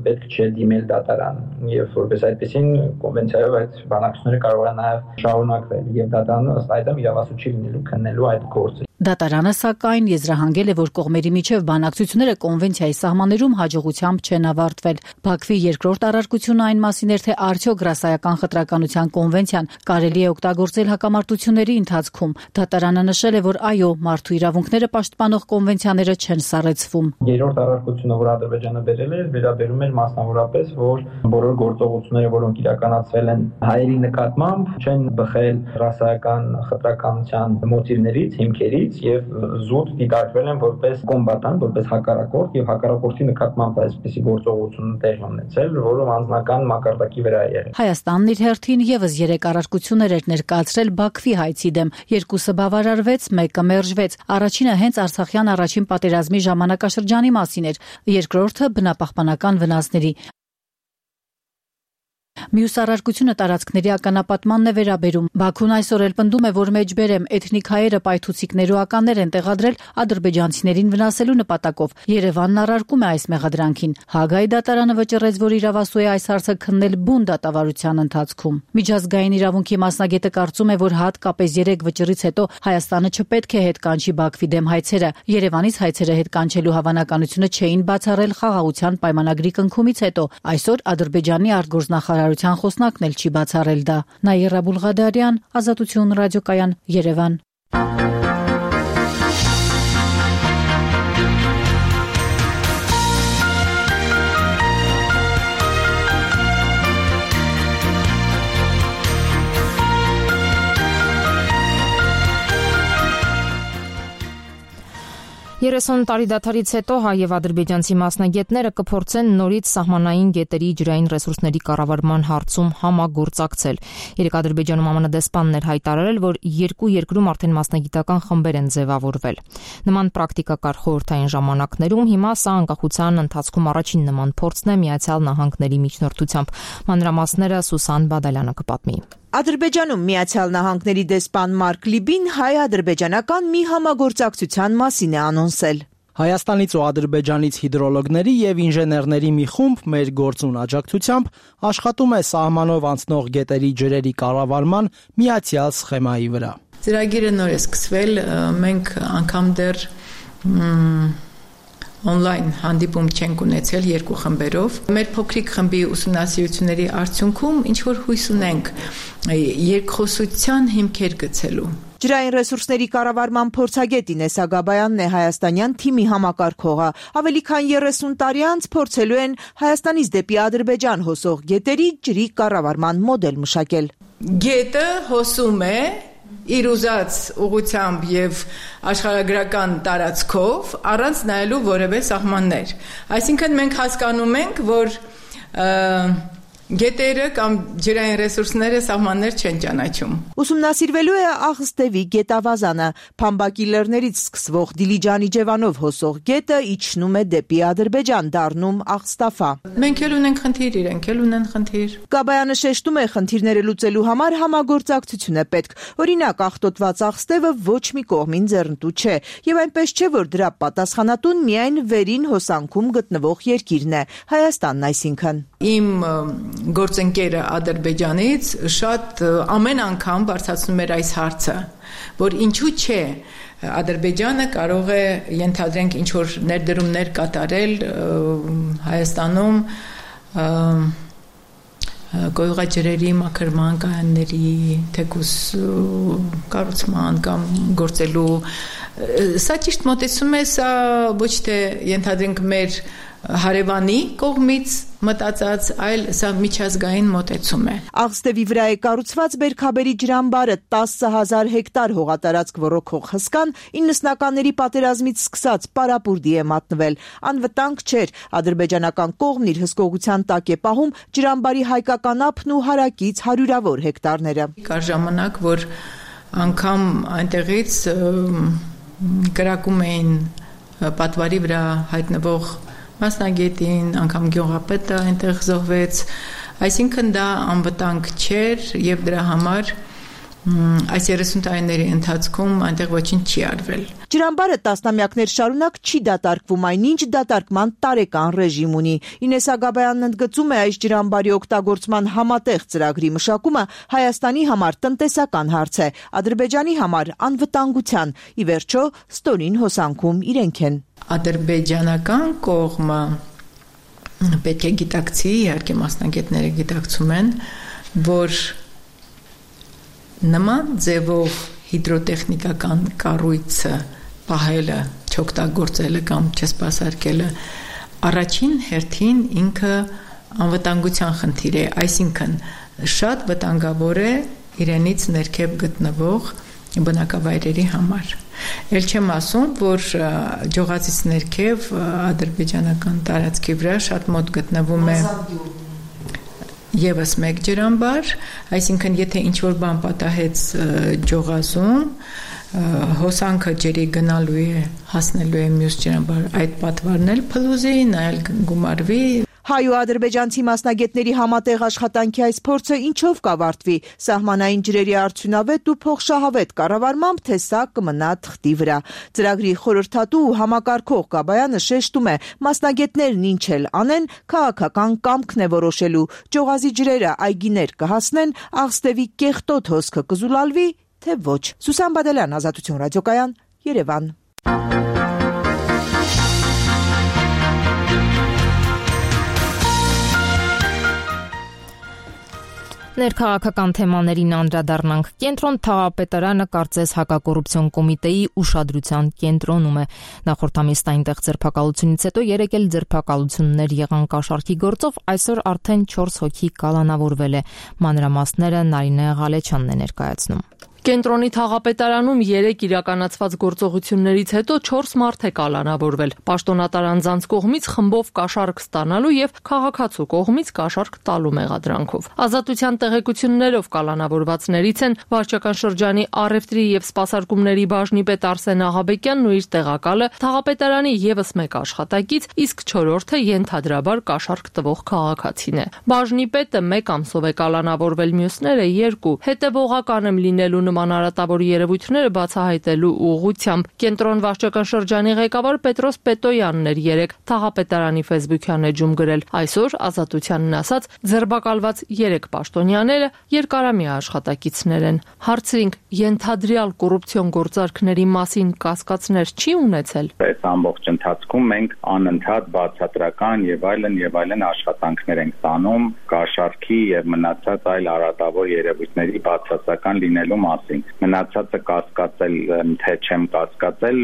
պետք չէ դիմել դատարան եւ որպես այդպեսին կոնվենցիայով այդ բանակցությունները կարող են նաեւ շարունակվել եւ դատարանը ըստ այդմ իրավասու չի լինելու քննելու այդ գործը։ Դատարանը սակայն եզրահանգել է, որ կողմերի միջև բանակցությունները կոնվենցիայի սահմաններում հաջողությամբ չեն ավարտվել։ Բաքվի երկրորդ առարկությունը այն մասին էր, թե արդյոք ռասայական խտրականության կոնվենցիան կարելի է օգտագործել հակամարտությունների ընթացքում։ Դատարանը նշել է, որ այո, մարդու իրավունքները պաշտպանող կոնվենցիաները չեն սառեցվում։ Երրորդ առարկությունը, որ Ադրբեջանը բերել է, վերաբերում էր մասնավորապես, որ բոլոր գործողությունները, որոնք իրականացվել են հայերի նկատմամբ, չեն բխել ռասայական խտրականության մոտիվներից, հիմքերից եւ զուտ դիտարկվել են որպես կոմբատանտ, որպես հակառակորդ եւ հակառակորդի նկատմամբ այսպիսի գործողություն տեղի ունեցել, որը անձնական մակարդակի վրա է եղել։ Հայաստանն իր հերթին եւս 3 առարկություններ էր ներկայացրել Բաքվի հայցի դեմ, 2-ը բավարարվեց, 1-ը մերժվեց։ Առաջինը հենց Արցախյան առաջին պատերազմի ժամանակաշրջանի մասին էր, երկրորդը բնապահպանական վնասների։ Մյուս առարկությունը տարածքների ականապատմանն է վերաբերում։ Բաքուն այսօր էլ պնդում է, որ մեջբերեմ էթնիկ հայերը պայթուցիկներու ականներ են տեղադրել ադրբեջանցիներին վնասելու նպատակով։ Երևանն առարկում է այս մեղադրանքին։ Հագայի դատարանը վճռեց, որ իրավասու է այս հարցը քննել բուն դատավարության ընթացքում։ Միջազգային իրավունքի մասնագետը կարծում է, որ հատկապես 3 վճռից հետո Հայաստանը չպետք է հետ կանչի Բաքվի դեմ հայցերը։ Երևանից հայցերը հետ կանչելու հավանականությունը չէին բացառել խաղաղության պայմանագրի կնքումից հետո։ Այսօր Ադրբեջանի արտգործնախարարության խոսնակն էլ չի բացառել դա։ Նաիրա Բուլղադարյան, Ազատություն ռադիոկայան, Երևան։ 30 տարի դադարից հետո հայ եւ ադրբեջանցի մասնագետները կփորձեն նորից սահմանային գետերի ջրային ռեսուրսների կառավարման հարցում համագործակցել։ Երեք Ադրբեջանում ԱՄՆ դեսպանն էր հայտարարել, որ երկու երկրում արդեն մասնագիտական խմբեր են ձևավորվել։ Նման պրակտիկա կար խորհրդային ժամանակներում, հիմա սա անկախության ընթացքում առաջին նման փորձն է Միացյալ Նահանգների միջնորդությամբ։ Մանրամասները Սուսան Բադալյանը կպատմի։ Ադրբեջանում Միացյալ Նահանգների դեսպան Մարկ Լիբին հայ-ադրբեջանական մի համագործակցության մասին է անոնսել։ Հայաստանից ու Ադրբեջանից հիդրոլոգների եւ ինժեներների մի խումբ մեր գործուն աջակցությամբ աշխատում է սահմանով անցնող գետերի ջրերի կառավարման միացյալ սխեմայի վրա։ Ծրագիրը նոր է սկսվել, մենք անգամ դեռ on-line հանդիպում չենք ունեցել երկու խմբերով։ Մեր փոքրիկ խմբի ուսումնասիրությունների արդյունքում ինչ որ հույս ունենք երկխոսության հիմքեր գցելու։ Ջրային ռեսուրսների կառավարման փորձագետ Ինես Ագաբայանն է հայաստանյան թիմի համակարգողը։ Ավելի քան 30 տարի անց փորձելու են Հայաստանից դեպի Ադրբեջան հոսող գետերի ջրի կառավարման մոդել մշակել։ Գետը հոսում է իր ուզած ուղղությամբ եւ աշխարհագրական տարածքով առանց նայելու որևէ սահմաններ։ Այսինքն մենք հասկանում ենք, որ գետերը կամ ջրային ռեսուրսները սահմաններ չեն ճանաչում։ Ուսումնասիրվելու է Աղստևի գետավազանը, Փամբակի լեռներից սկսվող Դիլիջանի ջևանով հոսող գետը իջնում է դեպի Ադրբեջան, դառնում Աղստաֆա։ Մենք էլ ունենք խնդիր, իրենք էլ ունեն խնդիր։ Գաբայանը շեշտում է, խնդիրները լուծելու համար համագործակցություն է պետք։ Օրինակ, աղտոտված Աղստևը ոչ մի կողմին ձեռնտու չէ, եւ այնպես չէ, որ դրա պատասխանատուն միայն վերին հոսանքում գտնվող երկիրն է, Հայաստանն այսինքն։ Իմ գործընկերը Ադրբեջանից շատ ամեն անգամ բարձրացնում էր այս հարցը, որ ինչու չէ Ադրբեջանը կարող է ենթադրենք ինչ որ ներդրումներ կատարել Հայաստանում գոյղաջրերի մաքրման կայանների թեկուս կառուցման կամ գործելու սա ճիշտ մոտեցում է, սա ոչ թե ենթադրենք մեր հարևանի կողմից մտածած, այլ սա միջազգային մոտեցում է։ Աղստևի վրա է կառուցված Բերքաբերի ջրամբարը 10,000 հեկտար հողատարածք ոռոգող հսկան 90-ականների պատերազմից սկսած պարապուրդի է մատնվել։ Անվտանգ չէր, ադրբեջանական կողմն իր հսկողության տակ է պահում ջրամբարի հայկական ափն ու հարակից հարյուրավոր հեկտարները։ Կար ժամանակ, որ անգամ այնտեղից կրակում էին պատվարի վրա հայտնվող մասնագետին, անգամ գյուղապետը այնտեղ զոհվեց, այսինքն դա անվտանգ չէր եւ դրա համար այս 30 տարիների ընթացքում այնտեղ ոչինչ չի արվել։ Ջրամբարը տասնամյակներ շարունակ չի դատարկվում, այնինչ դատարկման տարեկան ռեժիմ ունի։ Ինես Ագաբայանն ընդգծում է, այս ջրամբարի օգտագործման համատեղ ծրագրի մշակումը Հայաստանի համար տնտեսական հարց է, Ադրբեջանի համար անվտանգության, ի վերջո ստորին հոսանքում իրենք են։ Ադրբեջանական կողմը պետք է գիտակցի, իհարկե մասնագետները գիտակցում են, որ նման ձևով հիդրոտեխնիկական կառույցը պահելը, չօգտագործելը կամ չսպասարկելը առաջին հերթին ինքը անվտանգության խնդիր է, այսինքն շատ վտանգավոր է իրենից ներքև գտնվող բնակավայրերի համար։ Էլ չեմ ասում, որ ջողացից ներքև ադրբեջանական տարածքի վրա շատ մոտ գտնվում է եւս մեկ ջրամբար, այսինքն եթե ինչ-որ բան պատահեց ջողազում, հոսանքը ջրի գնալու է, հասնելու է մյուս ջրամբար, այդ պատվարն էլ փլուզի, նա էլ գումարվի։ Հայ ու ադրբեջանցի մասնագետների համատեղ աշխատանքի այս փորձը ինչով կավարտվի, սահմանային ջրերի արդյունավետ ու փոխշահավետ կառավարմամբ, թե սա կմնա թղթի վրա։ Ծրագրի խորհրդատու ու համակարգող Գաբայանը շեշտում է, մասնագետներն ինչ էլ անեն, քաղաքական կամքն է որոշելու, ջողազի ջրերը այգիներ կհասնեն, Աղստևի կեղտոտ հոսքը կզուլալվի, թե ոչ։ Սուսան Բադալյան, Ազատություն ռադիոկայան, Երևան։ Ներքաղաքական թեմաներին անդրադառնանք։ Կենտրոն Թաղապետարանը կարծես հակակոռուպցիոն կոմիտեի ուշադրության կենտրոնում է։ Նախորդ ամիսն այնտեղ ձերբակալությունից հետո 3 էլ ձերբակալություններ եղան կաշառքի գործով, այսօր արդեն 4 հոգի կալանավորվել է։ Մանրամասները Նարինե Ղալեչյանն է ներկայացնում։ Կենտրոնի թաղապետարանում 3 իրականացված գործողություններից հետո 4 մարդ է կալանավորվել։ Պաշտոնատար անձանց կողմից խմբով կաշառք ստանալու եւ քաղաքացու կողմից կաշառք տալու մեղադրանքով։ Ազատության տեղեկություններով կալանավորվածներից են վարչական շրջանի առևտրի եւ սպասարկումների բաժնի պետ Արսեն Աղաբեկյանն ու իր տեղակալը, թաղապետարանի եւս 1 աշխատակից, իսկ 4-րդը ենթադրաբար կաշառք տվող քաղաքացին է։ Բաժնի պետը 1 ամսով է կալանավորվել, մյուսները 2։ Հետևողական եմ լինելու մանարատավոր երևույթները բացահայտելու ուղղությամբ կենտրոն վարչական շրջանի ղեկավար Պետրոս Պետոյանն էր 3 թաղապետարանի Facebook-յան էջում գրել։ Այսօր ազատությանն ասած ձերբակալված 3 պաշտոնյաները երկարամյա աշխատակիցներ են։ Հարցրինք, ենթադրյալ կոռուպցիոն գործարքների մասին կասկածներ չի ունեցել։ Այս ամբողջ ընթացքում մենք անընդհատ բացատրական եւ այլն աշխատանքներ ենք տանում կաշառքի եւ մնացած այլ արատավոր երևույթների բացասական լինելու Մնացածը կասկածել, թե չեմ կասկածել,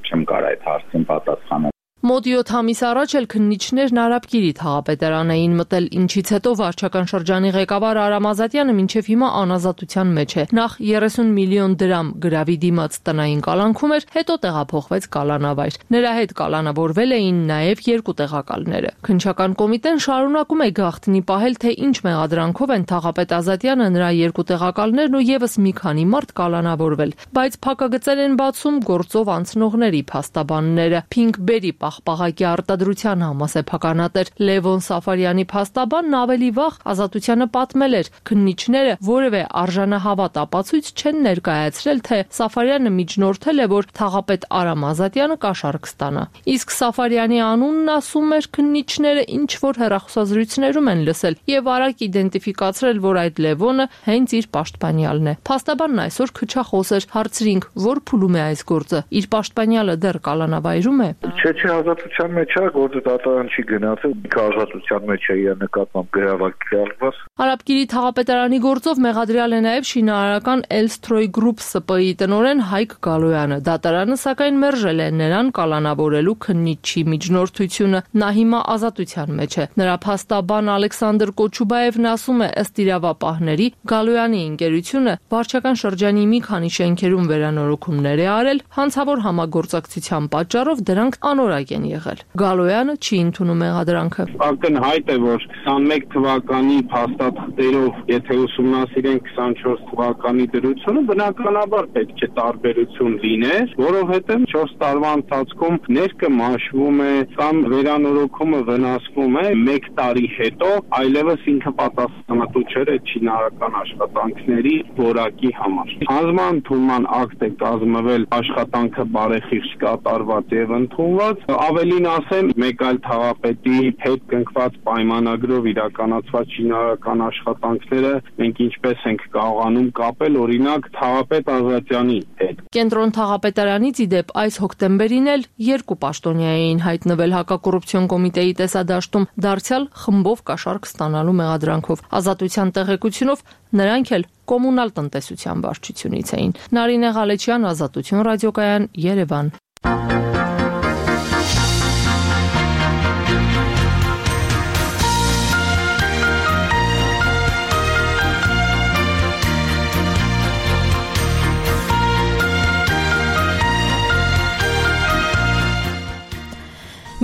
չեմ կարող այդ հարցին պատասխանել։ Մոտ 7 ամիս առաջ էլ քննիչներն Արաբկիրի թաղապետարան էին մտել, ինչից հետո վարչական շրջանի ղեկավար Արամ Ազատյանը մինչև հիմա անազատության մեջ է։ Նախ 30 միլիոն դրամ գրավի դիմաց տնային կալանքում էր, հետո տեղափոխվեց կալանավայր։ Նրա հետ կալանավորվել էին նաև 2 տեղակալները։ Քննչական կոմիտեն շարունակում է գաղտնի պահել, թե ինչ մեղադրանքով են թաղապետ Ազատյանը, նրա 2 տեղակալներն ու եւս մի քանի մարդ կալանավորվել, բայց փակագծեր են բացում գործով անցնողների փաստաբանները։ Փինգբերի պահպաղակի արտադրության համասեփականատեր Լևոն Սաֆարյանի փաստաբանն ավելի վաղ ազատությանը պատմել էր, քննիչները որևէ արժանահավատ ապացույց չեն ներկայացրել, թե Սաֆարյանը միջնորդել է, որ թաղապետ Արամ Ազատյանը կաշառք ստանա։ Իսկ Սաֆարյանի անունն ասում էր քննիչները ինչ որ հեռախոսազրույցներում են լսել եւ արագ իդենտիֆիկացրել, որ այդ Լևոնը հենց իր պաշտպանյալն է։ Փաստաբանն այսօր քչախոս էր, հարցրինք, որ փուլում է այս գործը, իր պաշտպանյալը դեռ կալանավայրում է։ Չէ, ազատության մեջ է, գործը դատարան չի գնացել, ազատության մեջ է իր նկատմամբ գրավակալված։ Արաբկիրի թաղապետարանի գործով մեղադրյալ է նաև շինարարական Elstroi Group ՍՊ-ի տնօրեն Հայկ Գալոյանը։ Դատարանը սակայն մերժել է նրան կալանավորելու քննիչի միջնորդությունը։ Նա հիմա ազատության մեջ է։ Նրա փաստաբան Ալեքսանդր Կոչուբաևն ասում է, ըստ իրավապահների, Գալոյանի ընկերությունը վարչական շրջանի մի քանի շենքերում վերանորոգումներ է արել, հանցավոր համագործակցության պատճառով դրանք անորակ են եղել։ Գալոյանը չի ընդունում մեղադրանքը։ Ակնհայտ է, որ 21 թվականի փաստաթղթերով, եթե ուսումնասիրենք 24 թվականի դրությունը, բնականաբար պետք է տարբերություն լիներ, որովհետև 4 տարվա ընթացքում ներկը մաշվում է կամ վերանորոգումը վնասվում է 1 տարի հետո, այլևս ինքը պատասխանատու չէր այդ շինարարական աշխատանքների որակի համար։ Հանձնման ակտ է կազմվել աշխատանքը բարեխիղճ կատարված եւ ընդունված, ավելին ասեմ, մեկ այլ թաղապետի հետ կնքված պայմանագրով իրականացված շինարարական աշխատանքները մենք ինչպես ենք կարողանում կապել օրինակ թաղապետ Ազատյանի հետ։ Կենտրոն թաղապետարանից ի դեպ այս հոկտեմբերին էլ 2 պաշտոնյա էին հայտնվել հակակոռուպցիոն կոմիտեի տեսադաշտում, դարձյալ խմբով կաշառք ստանալու մեղադրանքով։ Ազատության տեղեկությունով նրանք էլ կոմունալ տնտեսության վարչությունից էին։ Նարինե Ղալեչյան, Ազատություն ռադիոկայան, Երևան։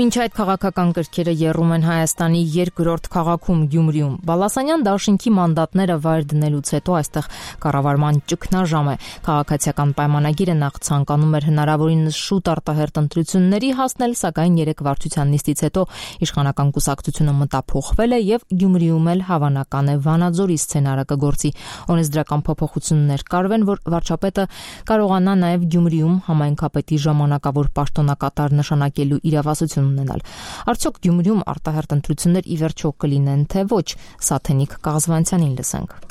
Մինչ այդ քաղաքական կրքերը եռում են Հայաստանի երկրորդ քաղաքում Գյումրիում։ Բալասանյան դաշինքի մանդատները վայր դնելուց հետո այստեղ կառավարման ճգնաժամ է։ Քաղաքացիական պայմանագիրը նախ ցանկանում էր հնարավորինս շուտ արտահերտ ընտրությունների հասնել, սակայն 3 վարչության նիստից հետո իշխանական կուսակցությունը մտափոխվել է եւ Գյումրիում էլ հավանական է Վանաձորի սցենարը կգործի։ Օրենսդրական փոփոխություններ կարվեն, որ վարչապետը կարողանա նաեւ Գյումրիում համայնքապետի ժամանակավոր պաշտոնակատար նշանակելու իրավասություն ունենալ։ Արդյոք Գյումրիում արտահերտ ընտրություններ ի վերջո կլինեն, թե ոչ, Սաթենիկ Կաղզվանցյանին լսենք։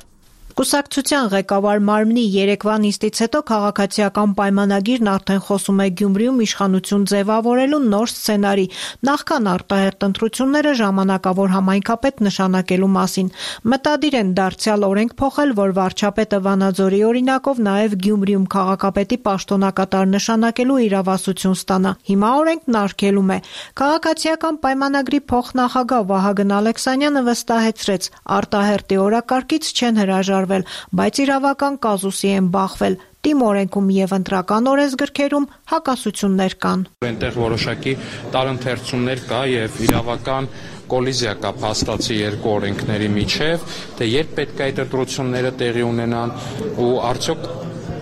Կուսակցության ղեկավար մարմնի երեկվա նիստից հետո քաղաքացիական պայմանագիրն արդեն խոսում է Գյումրիում իշխանություն ձևավորելու նոր սցենարի, նախքան արտահերտ ընտրությունները ժամանակավոր համայնքապետ նշանակելու մասին։ Մտադիր են դարձյալ օրենք փոխել, որ վարչապետը Վանաձորի օրինակով նաև Գյումրիում քաղաքապետի պաշտոնակատար նշանակելու իրավասություն ստանա։ Հիմա օրենքն արգելում է։ Քաղաքացիական պայմանագրի փոխնախագահ Վահագն Ալեքսանյանը վստահեցրեց, արտահերտի օրակարգից չեն հրաժարվել կատարվել, բայց իրավական կազուսի են բախվել։ Տիմ օրենքում եւ ընտրական օրենսգրքերում հակասություններ կան։ Այնտեղ որոշակի տարընթերցումներ կա եւ իրավական կոլիզիա կա փաստացի երկու օրենքների միջև, թե երբ պետք է այդ ընտրությունները տեղի ունենան ու արդյոք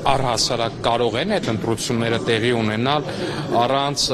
առհասարակ կարող են այդ ընտրությունները տեղի ունենալ առանց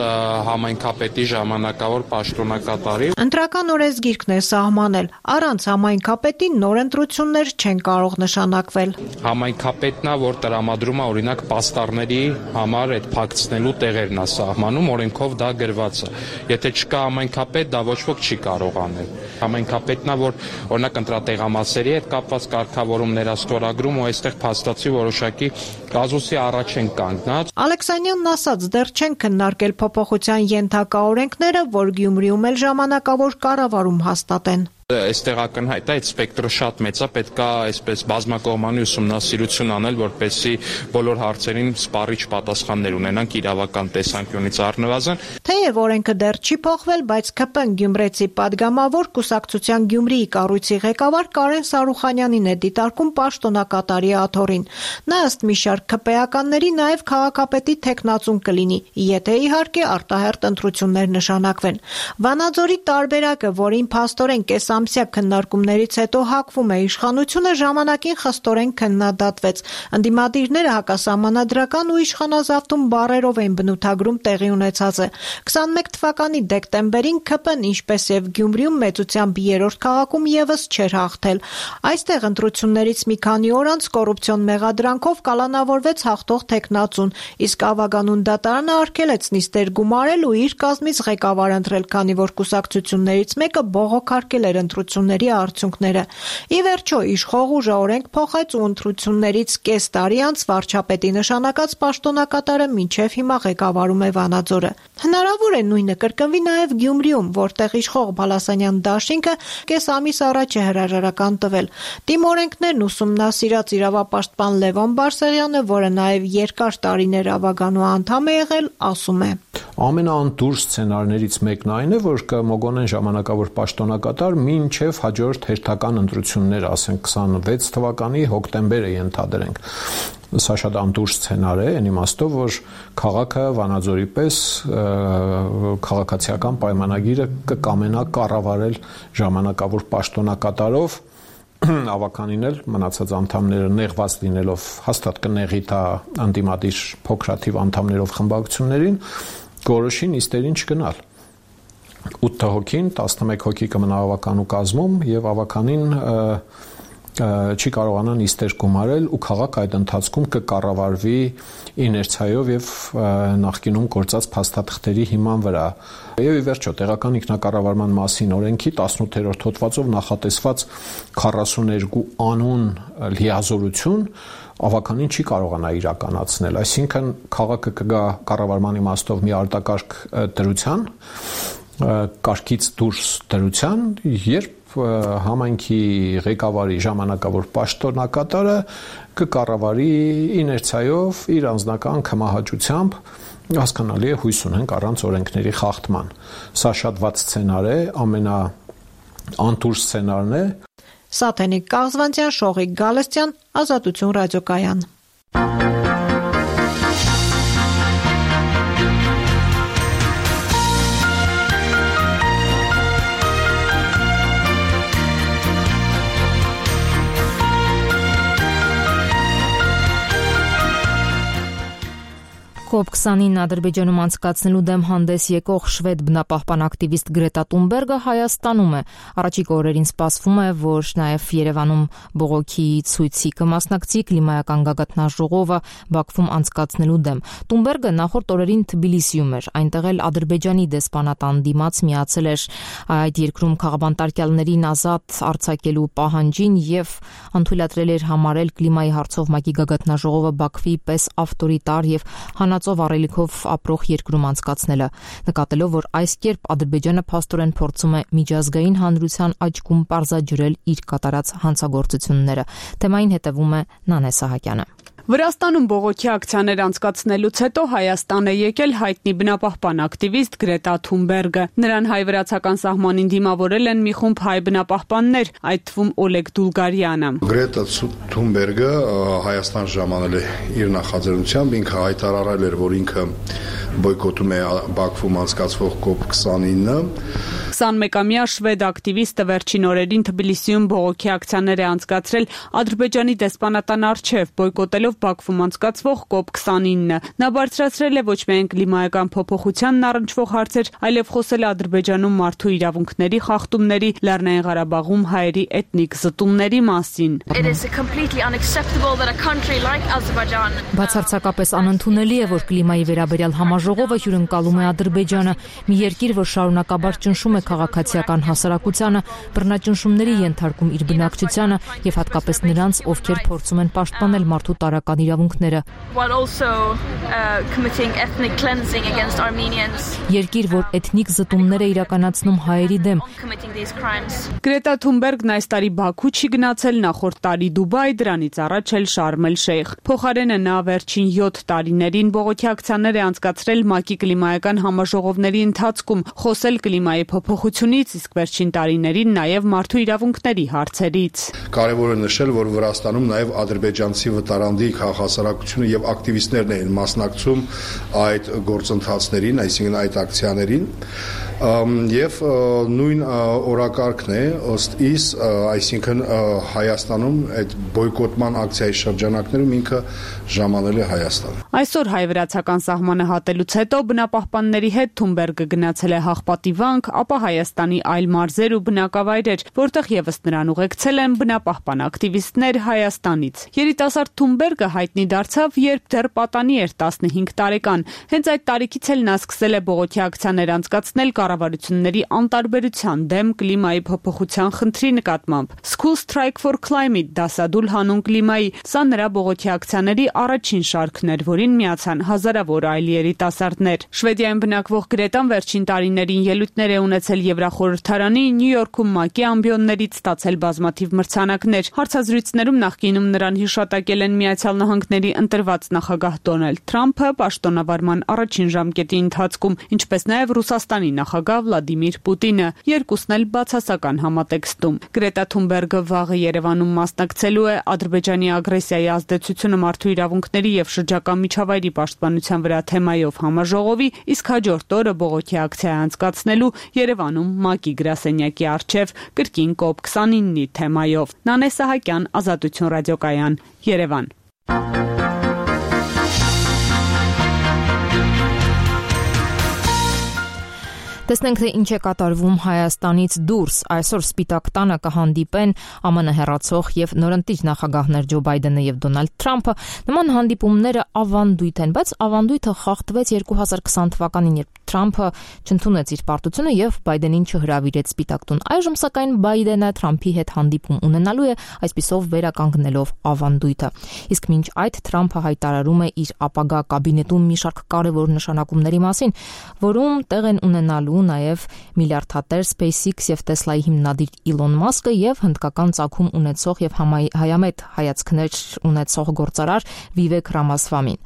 համայնքապետի ժամանակավոր պաշտոնակատարի։ Ընտրական օրենսգիրքն է սահմանել, առանց համայնքապետի նոր ընտրություններ չեն կարող նշանակվել։ Համայնքապետն է, որ տրամադրում է օրինակ պաստառների համար այդ փակցնելու տեղերն է սահմանում, օրենքով դա գրված է։ Եթե չկա համայնքապետ, դա ոչ ոք չի կարող անել։ Համայնքապետն է, որ օրինակ ընտրատեղամասերի հետ կապված կարգավորումներ է ստորագրում ու այստեղ փաստացի որոշակի կազուսի առաջ են կանգնած։ Ալեքսանյանն ասաց, դեռ չեն քննարկել փոփոխության ենթակա օրենքները, որ Գյումրիում էլ ժամանակավոր կառավարում հաստատեն։ Այստեղ ակնհայտ է, այդ սպեկտրը շատ մեծ է, պետք է այսպես բազմակողմանի ուսումնասիրություն անել, որպեսզի բոլոր հարցերին սպառիչ պատասխաններ ունենանք իրավական տեսանկյունից առնվազն։ Թեև օրենքը դեռ չի փոխվել, բայց ՔՊ Գյումրեցի падգամավոր կուսակցության Գյումրիի կառույցի ղեկավար Կարեն Սարուխանյանին է դիտարկում պաշտոնակատարի աթոռին։ Նա ըստ մի շարք ՔՊ-ականների նաև քաղաքապետի թեկնածուն կլինի, եթե իհարկե արտահերթ ընտրություններ նշանակվեն։ Վանաձորի տարբերակը, որին փաստորեն ամսյա քննարկումներից հետո հակվում է իշխանությունը, ժամանակին խստորեն քննադատվեց։ Ընդդիմադիրները հակասահմանադրական ու իշխանազավթում բառերով էին բնութագրում տեղի ունեցածը։ 21 թվականի դեկտեմբերին ՔՊ-ն, ինչպես եւ Գյումրիում մեծությամբ երրորդ քաղաքում եւս չէր հաղթել։ Այստեղ ընտրություններից մի քանի օր անց կոռուպցիոն մեղադրանքով կալանավորվեց հաղթող թեկնածուն, իսկ Ավագանուն դատարանը արգելեց նիստեր գումարել ու իր կազմից ղեկավար ընտրել, քանի որ կուսակցություններից մեկը բողոքարկել էր ընտրությունների արդյունքները։ Ի վերջո իշխող ուժը օրենք փոխեց ու ընտրություններից կես տարի անց վարչապետի նշանակած պաշտոնակատարը մինչև հիմա ղեկավարում է Վանաձորը։ Հնարավոր է նույնը կրկնվի նաև Գյումրիում, որտեղ իշխող Բալասանյան դաշինքը կես ամիս առաջ է հրաժարական տվել։ Տիմ օրենքներն ուսումնասիրած իրավապաշտպան Լևոն Բարսեղյանը, որը նաև երկար տարիներ Ավագանու անդամ է եղել, ասում է. Ամենաանտուր սցենարներից մեկն այն է, որ կմոգոնեն ժամանակավոր պաշտոնակատար մինչև հաջորդ հերթական ընտրություններ, ասենք 26 թվականի հոկտեմբերը ենթադրենք։ Սա շատ անտուր սցենար է, այն իմաստով, որ քաղաքը Վանաձորի պես քաղաքացիական պայմանագիրը կկամենա կառավարել ժամանակավոր պաշտոնակատարով, ավականին էլ մնացած անդամները նեղված լինելով հաստատ կնեղի դա անդիմադիր փոքրաթիվ անդամներով խմբակցություններին, գորոշի նիստերին չգնալ։ 8 հոգին, 11 հոգի կմնա ավականու կազմում եւ ավականին չի կարողանա նիստեր գումարել ու քաղաքը այդ ընթացքում կկառավարվի իներցիայով եւ նախկինում գործած փաստաթղթերի հիման վրա։ Եվ ի վերջո տեղական ինքնակառավարման մասին օրենքի 18-րդ հոդվածով նախատեսված 42 անուն լիազորություն ավականին չի կարողանա իրականացնել, այսինքն քաղաքը կգա կառավարման իմաստով մի արտակարգ դրության, կարգից դուրս դրության, երբ համայնքի ղեկավարի ժամանակավոր պաշտոնակատարը կկառավարի իներցիայով իր անձնական կմահաճությամբ, հասկանալի է հույս ունենք առանց օրենքների խախտման։ Սա շատ վատ սցենար է, ամենաանտուր սցենարն է։ Սաթենիկ Կաղզվանցյան, Շողիկ Գալստյան, Ազատություն ռադիոկայան։ COP29 Ադրբեջանում անցկացնելու դեմ հանդես եկող շվեդ բնապահպան ակտիվիստ Գրետա Թունբերգը Հայաստանում է։ Առաջիկա օրերին սպասվում է, որ նաև Երևանում բողոքի ցույցի կմասնակցի կլիմայական գագաթնաժողովը Բաքվում անցկացնելու դեմ։ Թունբերգը նախորդ օրերին Թբիլիսիում էր, այնտեղ էլ Ադրբեջանի դեսպանատան դիմաց միացել էր այդ երկրում քաղաքապետարներին ազատ արձակելու պահանջին եւ անթույլատրել էր համարել կլիմայի հարցով ՄԱԿ-ի գագաթնաժողովը Բաքվի պես ավտորիտար եւ հանածով առելիքով ապրող երկրում անցկացնելը, նկատելով, որ այս կերպ Ադրբեջանը փաստորեն փորձում է միջազգային հանրության աչքում պարզաջրել իր կատարած հանցագործությունները։ Թեմային հետևում է Նանե Սահակյանը։ Վրաստանում բողոքի ակցիաներ անցկացնելուց հետո Հայաստան է եկել հայտնի բնապահպան ակտիվիստ Գրետա Թունբերգը։ Նրան հայ-վրացական սահմանին դիմավորել են մի խումբ հայ բնապահպաններ, այդ թվում Օլեգ Դուլգարյանը։ Գրետա Թունբերգը Հայաստան ժամանել է իր նախաձեռնությամբ, ինքը հայտարարել էր, որ ինքը բոյկոտում է Բաքվում անցկացվող COP29։ 21-ամյա շվեդ ակտիվիստը վերջին օրերին Թբիլիսիում բողոքի ակցիաներ է անցկացրել Ադրբեջանի դեսպանատան առջև, բոյկոտելով Բաքվում անցկացվող COP29-ը։ Նա բարձրացրել է ոչ միայն կլիմայական փոփոխությանն առնչվող հարցեր, այլև խոսել է Ադրբեջանում մարդու իրավունքների խախտումների, Լեռնային Ղարաբաղում հայերի էթնիկ զտումների մասին։ Բացարձակապես անընդունելի է, որ կլիմայի վերաբերյալ համաժողովը հյուրընկալում է Ադրբեջանը, մի երկիր, որ շարունակաբար ճնշում է քաղաքացիական հասարակությանը, բռնաճնշումների ենթարկում իր բնակչությանը եւ հատկապես նրանց, ովքեր փորձում են պաշտպանել մարդու տարրական իրավունքները։ Երկիր, որ էթնիկ զտումներ է իրականացնում հայերի դեմ։ Գրետա Թունբերգն այս տարի Բաքու չի գնացել, նախորդ տարի Դուբայ, դրանից առաջ էլ Շարմ էլ Շեյխ։ Փոխարենը նա վերջին 7 տարիներին բողոքի ակցիաներ է անցկացրել ՄԱԿ-ի կլիմայական համաժողովների ընթացքում, խոսել կլիմայի փոփոխությունից, իսկ վերջին տարիներին նաև մարդու իրավունքների հարցերից։ Կարևոր է նշել, որ Վրաստանում նաև ադրբեջանցի վտարանդի քաղաքասարակությունը եւ ակտիվիստներն են մասնակցում այդ գործընթացներին, այսինքն այդ ակցիաներին, եւ նույն օրակարգն է ըստ իս, այսինքն Հայաստանում այդ բոյկոտման ակցիայի շրջանակներում ինքը ժամանել է Հայաստան։ Այսօր հայ-վրացական սահմանը հատելուց հետո բնապահպանների հետ Թունբերգը գնացել է Հաղպատի վանք, ապա Հայաստանի այլ մարզեր ու բնակավայրեր, որտեղ եւս նրան ուղեկցել են բնապահպան ակտիվիստներ Հայաստանից։ Երիտասարդ Թունբերգը հայտնի դարձավ, երբ դեռ պատանի էր 15 տարեկան։ Հենց այդ տարիքից էլ նա սկսել է բողոքի ակցիաներ անցկացնել կառավարությունների անտարբերության դեմ կլիմայի փոփոխության խնդրի նկատմամբ։ School Strike for Climate դասադուլ հանուն կլիմայի, սա նրա բողոքի ակցիաների առաջին շարքն էր, որին միացան հազարավոր այլ երիտասարդներ։ Շվեդիայում բնակվող Գրետան վերջին տարիներին ելույթներ է ունեցել Եվրախորհրդարանի, Նյու Յորքում ՄԱԿ-ի ամբիոններից, ստացել բազմաթիվ մրցանակներ։ Հարցազրույցներում նախկինում նրան հիշատակել են Միացյալ Նահանգների ընտրված նախագահ Դոնալդ Թրամփը պաշտոնավարման առաջին ժամկետի ընթացքում, ինչպես նաև Ռուսաստանի նախագահ Վլադիմիր Պուտինը, երկուսն էլ բացասական համատեքստում։ Գրետա Թունբերգը վաղը Երևանում մասնակցելու է Ադրբեջանի ագրեսիայի ազդեցությունը մարդու իրավունքների եւ շրջակա միջավայրի պաշտպանության վրա թեմայով համաժողովի, իսկ հաջորդ օրը բողոքի ակցիա անցկացնելու Երևանում ՄԱԿ-ի գրասենյակի առջև կրկին COP29-ի թեմայով։ Նանե Սահակյան, Ազատություն ռադիոկայան, Երևան։ Տեսնենք, թե ինչ է կատարվում Հայաստանից դուրս։ Այսօր Սպիտակ տանը կհանդիպեն ԱՄՆ հեռացող եւ նորընտիր նախագահներ Ջո Բայդենը եւ Դոնալդ Թրամփը։ Նման հանդիպումները ավանդույթ են, բայց ավանդույթը խախտվեց 2020 թվականին, երբ Թրամփը չընդունեց իր պարտությունը եւ Բայդենին չհրավիրեց Սպիտակ տուն։ Այժմ սակայն Բայդենը Թրամփի հետ հանդիպում ունենալու է, այսպիսով վերականգնելով ավանդույթը։ Իսկ մինչ այդ Թրամփը հայտարարում է իր ապագա կաբինետում մի շարք կարևոր նշանակումների մասին, որում տեղ են ունենալու նաև միլիարդատեր SpaceX եւ Tesla-ի հիմնադիր Իլոն Մասկը եւ հնդկական ծագում ունեցող եւ հայամետ հայացքներ ունեցող գործարար Վիվեք Ռամասվամին։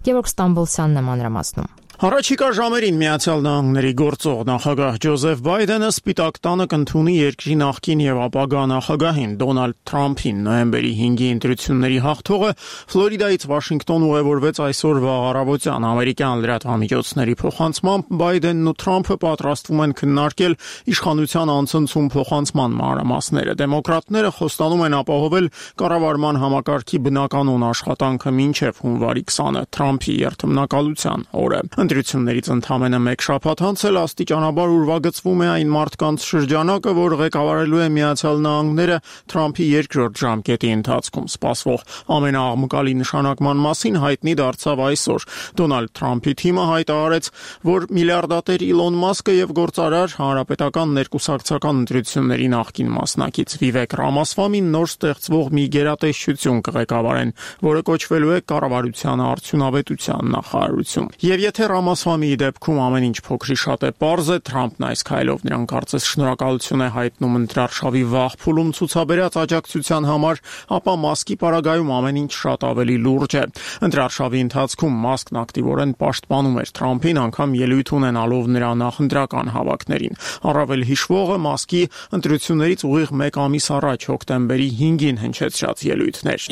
Գևորգ Ստամբոլցյանն է մանրամասնում։ Առաջիկա ժամերին Միացյալ Նահանգների գործող նախագահ Ջոզեֆ Բայդենը Սպիտակ տանը կընդունի երկրի նախկին եւ ապագա նախագահին Դոնալդ Թրամփին։ Նոյեմբերի 5-ի ընտրությունների հաղթողը Ֆլորիդայից Վաշինգտոն ուղևորվեց այսօր վաղ առավոտյան։ Ամերիկյան լրատվամիջոցների փոխանցմամբ Բայդենն ու Թրամփը պատրաստվում են քննարկել իշխանության անցնցում փոխանցման մանրամասները։ Դեմոկրատները խոստանում են ապահովել կառավարման համակարգի բնականոն աշխատանքը մինչև հունվարի 20-ը Թրամփի երթմնակալության օրը։ Ընտրություններից ընդամենը մեկ շաբաթ անց էլ աստիճանաբար ուրվագծվում է այն մարդկանց շրջանակը, որ ղեկավարելու է Միացյալ Նահանգները Թրամփի երկրորդ ժամկետի ընթացքում։ Սպասվող ամենաաղմկալի նշանակման մասին հայտնի դարձավ այսօր։ Դոնալդ Թրամփի թիմը հայտարարեց, որ միլիարդատեր Իլոն Մասկը եւ գործարար Հանրապետական ներկուսակցական ընտրությունների նախկին մասնակից Վիվեք Ռամասվամին նոր ստեղծվող մի գերատեսչություն կղեկավարեն, որը կոչվելու է Կառավարության արդյունավետության նախարարություն։ Եվ եթե ամասվա մի դեպքում ամեն ինչ փոքրի շատ է պարզ է, Թրամփն այս քայլով նրան կարծես շնորհակալություն է հայտնում ընտրարշավի վաղ փուլում ցուցաբերած աջակցության համար, ապա Մասկի պարագայում ամեն ինչ շատ ավելի լուրջ է։ Ընտրարշավի ընթացքում Մասկն ակտիվորեն պաշտպանում էր Թրամփին, անգամ ելույթ ունենալով նրա նախընտրական հավաքներին։ Առավել հիշվողը Մասկի ընտրություններից ուղիղ 1 ամիս առաջ հոկտեմբերի 5-ին հնչեցրած ելույթներ։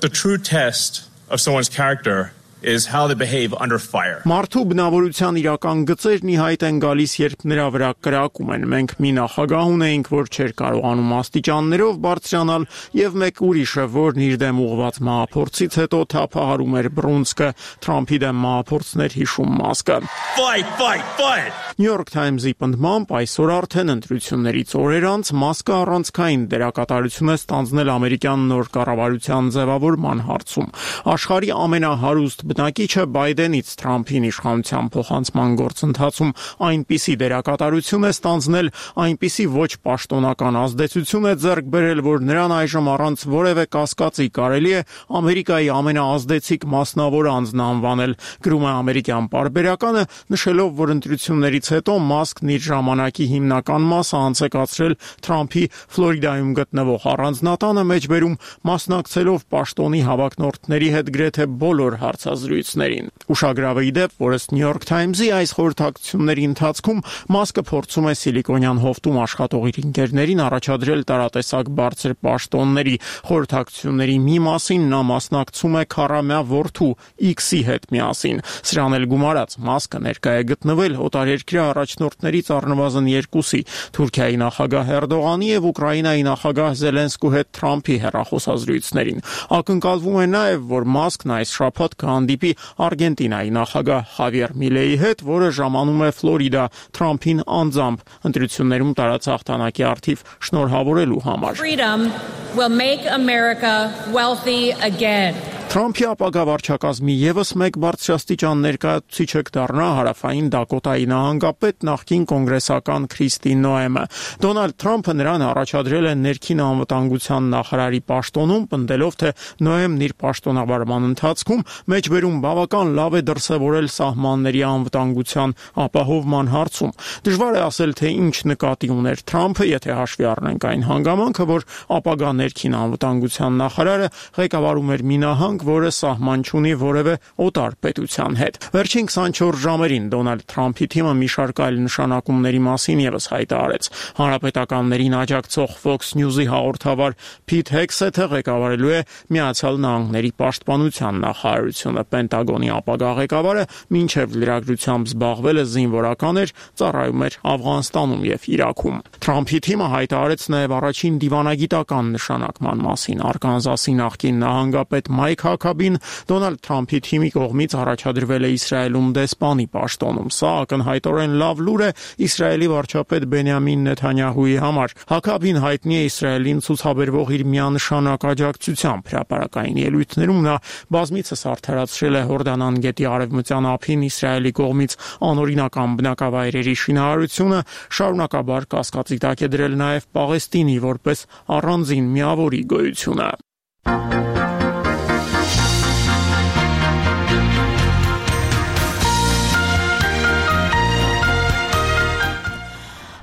The true test of someone's character is how they behave under fire. Մարդու բնավորության իրական գծերն ի հայտ են գալիս, երբ նրա վրա կրակում են։ Մենք մի նախագահ ունեինք, որ չէր կարողանում աստիճաններով բարձրանալ, եւ մեկ ուրիշը, որն իր դեմ ուղղված մահափորձից հետո թափահարում էր բռունցքը, Թրամփի դեմ մահափորձներ հիշում Մասկը։ Fight. New York Times-ի պնդմամբ այսօր արդեն ընտրություններից օրեր անց Մասկը առանցքային դերակատարություն է ստանձնել ամերիկյան նոր կառավարության ձևավորման հարցում։ Աշխարհի ամենահարուստ բնակիչը Բայդենից Թրամփին իշխանության փոխանցման գործընթացում այնպիսի դերակատարություն է ստանձնել, այնպիսի ոչ պաշտոնական ազդեցություն է ձեռք բերել, որ նրան այժմ առանց որևէ կասկածի կարելի է Ամերիկայի ամենաազդեցիկ մասնավոր անձն անվանել, գրում է ամերիկյան պարբերականը, նշելով, որ ընտրություններից հետո Մասկն իր ժամանակի հիմնական մասը անցկացրել Թրամփի Ֆլորիդայում գտնվող առանձնատանը մեջբերում, մասնակցելով պաշտոնի հավակնորդների հետ գրեթե բոլոր հարցազրույցներին։ Ուշագրավ է իդեպ, որ ըստ New York Times-ի այս խորհրդակցությունների ընթացքում Մասկը փորձում է Սիլիկոնյան հովտում աշխատող իր ընկերներին առաջադրել տարատեսակ բարձր պաշտոնների։ Խորհրդակցությունների մի մասին նա մասնակցում է քառամյա որդու X-ի հետ միասին։ Սրան էլ գումարած Մասկը ներկա է գտնվել օտարերկրյա առաջնորդներից առնվազն 2-ի՝ Թուրքիայի նախագահ Էրդողանի եւ Ուկրաինայի նախագահ Զելենսկու հետ Թրամփի հեռախոսազրույցներին։ Ակնկալվում է նաեւ, որ Մասկն այս շաբաթ կհանդիպի Արգենտինայի նախագահ Խավիեր Միլեի հետ, որը ժամանում է Ֆլորիդա Թրամփին անձամբ ընտրություններում տարած հաղթանակի առթիվ շնորհավորելու համար։ Freedom will make America wealthy again. Թրամփի ապագա վարչակազմի եւս մեկ բարձրաստիճան ներկայացուցիչը կդառնա հարավային Դակոտայի նահանգապետ նախկին կոնգրեսական Քրիստի Նոեմը։ Դոնալդ Թրամփը նրան առաջադրել է ներքին անվտանգության նախարարի պաշտոնում, պնդելով, թե Նոեմն իր պաշտոնավարման ընթացքում մեջբերում բավական լավ է դրսևորել սահմանների անվտանգության ապահովման հարցում։ Դժվար է ասել, թե ինչ նկատի ուներ Թրամփը, եթե հաշվի առնենք այն հանգամանքը, որ ապագա ներքին անվտանգության նախարարը ղեկավարում էր մի նահանգ, որը սահման չունի որևէ օտար պետության հետ։ Վերջին 24 ժամերին Դոնալդ Թրամփի թիմը մի շարք այլ նշանակումների մասին եւս հայտարարեց։ Հանրապետականներին աջակցող Fox News-ի հաղորդավար Փիթ Հեքսեթը ղեկավարելու է Միացյալ Նահանգների պաշտպանության նախարարությունը։ Պենտագոնի ապագա ղեկավարը մինչև լրագրությամբ զբաղվել է զինվորական էր, ծառայում էր Աֆղանստանում եւ Իրաքում։ Թրամփի թիմը հայտարարեց նաեւ առաջին դիվանագիտական նշանակման մասին։ Արկանզասի նախկին նահանգապետ Մայք Հաքաբին Դոնալդ Թրամփի թիմի կողմից առաջադրվել է Իսրայելում դեսպանի պաշտոնում։ Սա ակնհայտորեն լավ լուր է Իսրայելի վարչապետ Բենյամին Նեթանյահուի համար։ Հաքաբին հայտնի է Իսրայելին ցուցաբերվող իր միանշանակ աջակցությամբ։ Հրապարակային ելույթներում նա բազմիցս արդարացրել է Հորդանան գետի արևմտյան ափին Իսրայելի կողմից անօրինական բնակավայրերի շինարարությունը, շարունակաբար կասկածի տակ է դրել նաև Պաղեստինի որպես առանձին միավորի գոյությունը։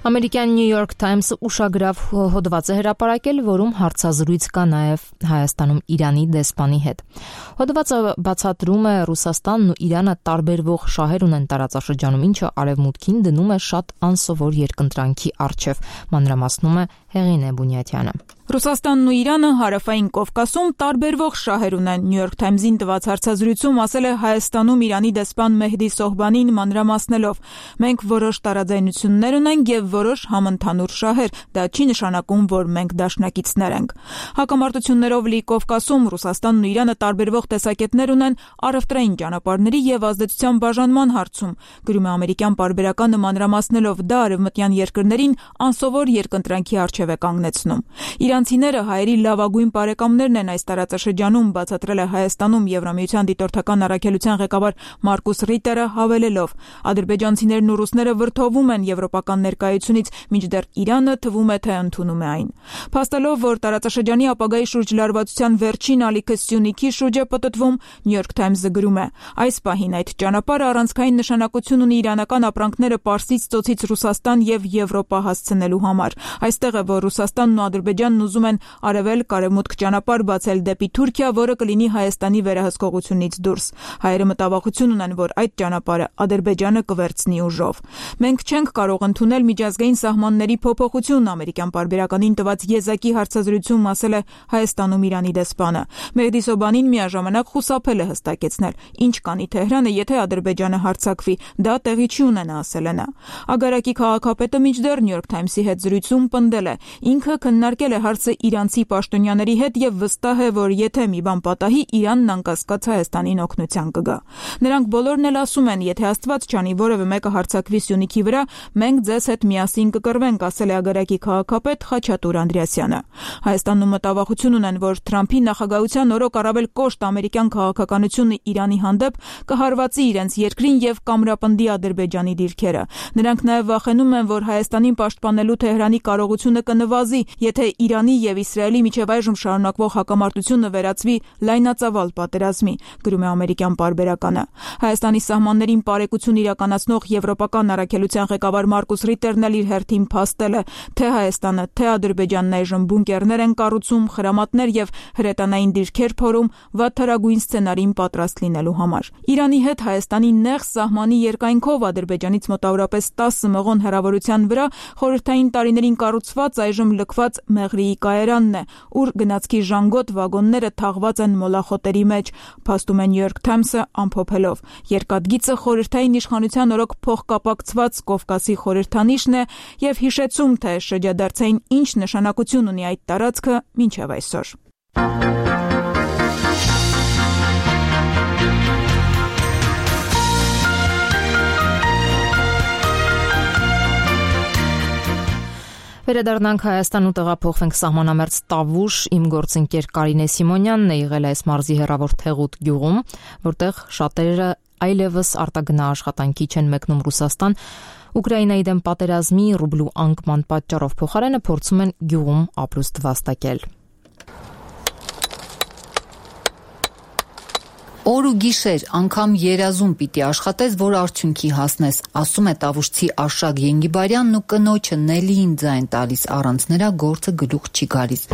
Ամերիկյան New York Times-ը ուշագրավ հոդված է հրապարակել, որում հարցազրույց կա նաև Հայաստանում Իրանի դեսպանի հետ։ Հոդվածը բացատրում է Ռուսաստանն ու Իրանը տարբերվող շահեր ունեն տարածաշրջանում, ինչը արևմուտքին դնում է շատ անսովոր երկընտրանքի առջև, մանրամասնում է Հեղինե Բունյատյանը։ Ռուսաստանն ու Իրանը հարավային Կովկասում տարբերվող շահեր ունեն։ New York Times-ին տված հարցազրույցում ասել է Հայաստանում Իրանի դեսպան Մեհդի Սոհբանին մանրամասնելով. «Մենք որոշ տարաձայնություններ ունենք եւ որոշ համընդհանուր շահեր, դա չի նշանակում, որ մենք դաշնակիցներ ենք»։ Հակամարտություններով լի Կովկասում Ռուսաստանն ու Իրանը տարբերվող տեսակետներ ունեն առևտրային ճանապարհների եւ ազդեցության բաժանման հարցում, գրում է ամերիկյան պարբերականը մանրամասնելով, դա արևմտյան երկրներին անսովոր երկընտրանքի առջև է կանգնեցնում։ Իրանցիները հայերի լավագույն բարեկամներն են այս տարածաշրջանում, բացատրել է Հայաստանում Եվրամիության դիտորդական առաքելության ղեկավար Մարկուս Ռիտերը, հավելելով. «Ադրբեջանցիներն ու ռուսները վրդովում են եվրոպական ներկայությունը Հանրապետությունից, մինչդեռ Իրանը թվում է թե ընդունում է այն։ Փաստելով, որ տարածաշրջանի ապագայի շուրջ լարվածության վերջին ալիքը Սյունիքի շուրջ է պտտվում, New York Times-ը գրում է. այս պահին այդ ճանապարհը առանցքային նշանակություն ունի իրանական ապրանքները Պարսից ծոցից Ռուսաստան եւ Եվրոպա հասցնելու համար։ Այստեղ է, որ Ռուսաստանն ու Ադրբեջանն ուզում են արևելք-արևմուտք ճանապարհ բացել դեպի Թուրքիա, որը կլինի Հայաստանի վերահսկողությունից դուրս։ Հայերը մտավախություն ունեն, որ այդ ճանապարհը Ադրբեջանը կվերցնի ուժով։ Մենք չենք կարող ընդունել միջազգային սահմանների փոփոխություն, ամերիկյան պարբերականին տված եզակի հարցազրույցում ասել է Հայաստանում Իրանի դեսպանը։ Մեհդի Սոբանին միաժամանակ խուսափել է հստակեցնել, ինչ կանի Թեհրանը, եթե Ադրբեջանը հարձակվի, դա տեղի չի ունենա, ասել է նա։ Ագարակի քաղաքապետը մինչդեռ New York Times-ի հետ զրույցում պնդել է. ինքը քննարկել է հարցը իրանցի պաշտոնյաների հետ եւ վստահ է, որ եթե մի բան պատահի, Իրանն անկասկած Հայաստանին օգնության կգա։ Նրանք բոլորն էլ ասում են, եթե Աստված չանի որևէ մեկը հարձակվի Սյունիքի վրա, մենք ձեզ հետ միասին կկռվենք, ասել է Ագարակի քաղաքապետ Խաչատուր Անդրեասյանը։ Հայաստանում մտավախություն ունեն, որ Թրամփի նախագահության օրոք առավել կոշտ ամերիկյան քաղաքականությունը Իրանի հանդեպ կհարվածի իրենց երկրին եւ կամրապնդի Ադրբեջանի դիրքերը։ Նրանք նաեւ վախենում են, որ Հայաստանին պաշտպանելու Թեհրանի կարողությունը կնվազի, եթե Իրանի եւ Իսրայելի միջև այժմ շարունակվող հակամարտությունը վերածվի լայնածավալ պատերազմի, գրում է ամերիկյան պարբերականը։ Հայաստանի սահմաններին պարեկություն իրականացնող եվրոպական առաքելության ղեկավար Մարկուս Ռիտերն էլ իր հերթին փաստել է, թե Հայաստանը, թե Ադրբեջանն այժմ բունկերներ են կառուցում, խրամատներ եւ հրետանային դիրքեր փորում վատթարագույն սցենարին պատրաստ լինելու համար։ Իրանի հետ Հայաստանի նեղ սահմանի երկայնքով Ադրբեջանից մոտավորապես 10 մղոն հեռավորության վրա խորհրդային տարիներին կառուցված այժմ լքված Մեղրիի կայարանն է, ուր գնացքի ժանգոտ վագոնները թաղված են մոլախոտերի մեջ, փաստում է New York Times-ը ամփոփելով։ Երկաթգիծը խորհրդային իշխանության օրոք փոխկապակցված Կովկասի խորհրդանիշն է եւ հիշեցում, թե շրջադարձային ինչ նշանակություն ունի այդ տարածքը մինչև այսօր։ Վերադառնանք Հայաստան ու տեղափոխվենք սահմանամերձ Տավուշ, իմ գործընկեր Կարինե Սիմոնյանն է եղել այս մարզի հեռավոր Թեղուտ գյուղում, որտեղ շատերը այլևս արտագնա աշխատանքի չեն մեկնում Ռուսաստան, Ուկրաինայի դեմ պատերազմի ռուբլու անկման պատճառով փոխարենը փորձում են գյուղում ապրուստ վաստակել։ Օր ու գիշեր, անգամ երազում պիտի աշխատես, որ արդյունքի հասնես, ասում է տավուշցի Արշակ Ենգիբարյանն ու կնոջը Նելիին ձայն տալիս, առանց նրա գործը գլուխ չի գալիս։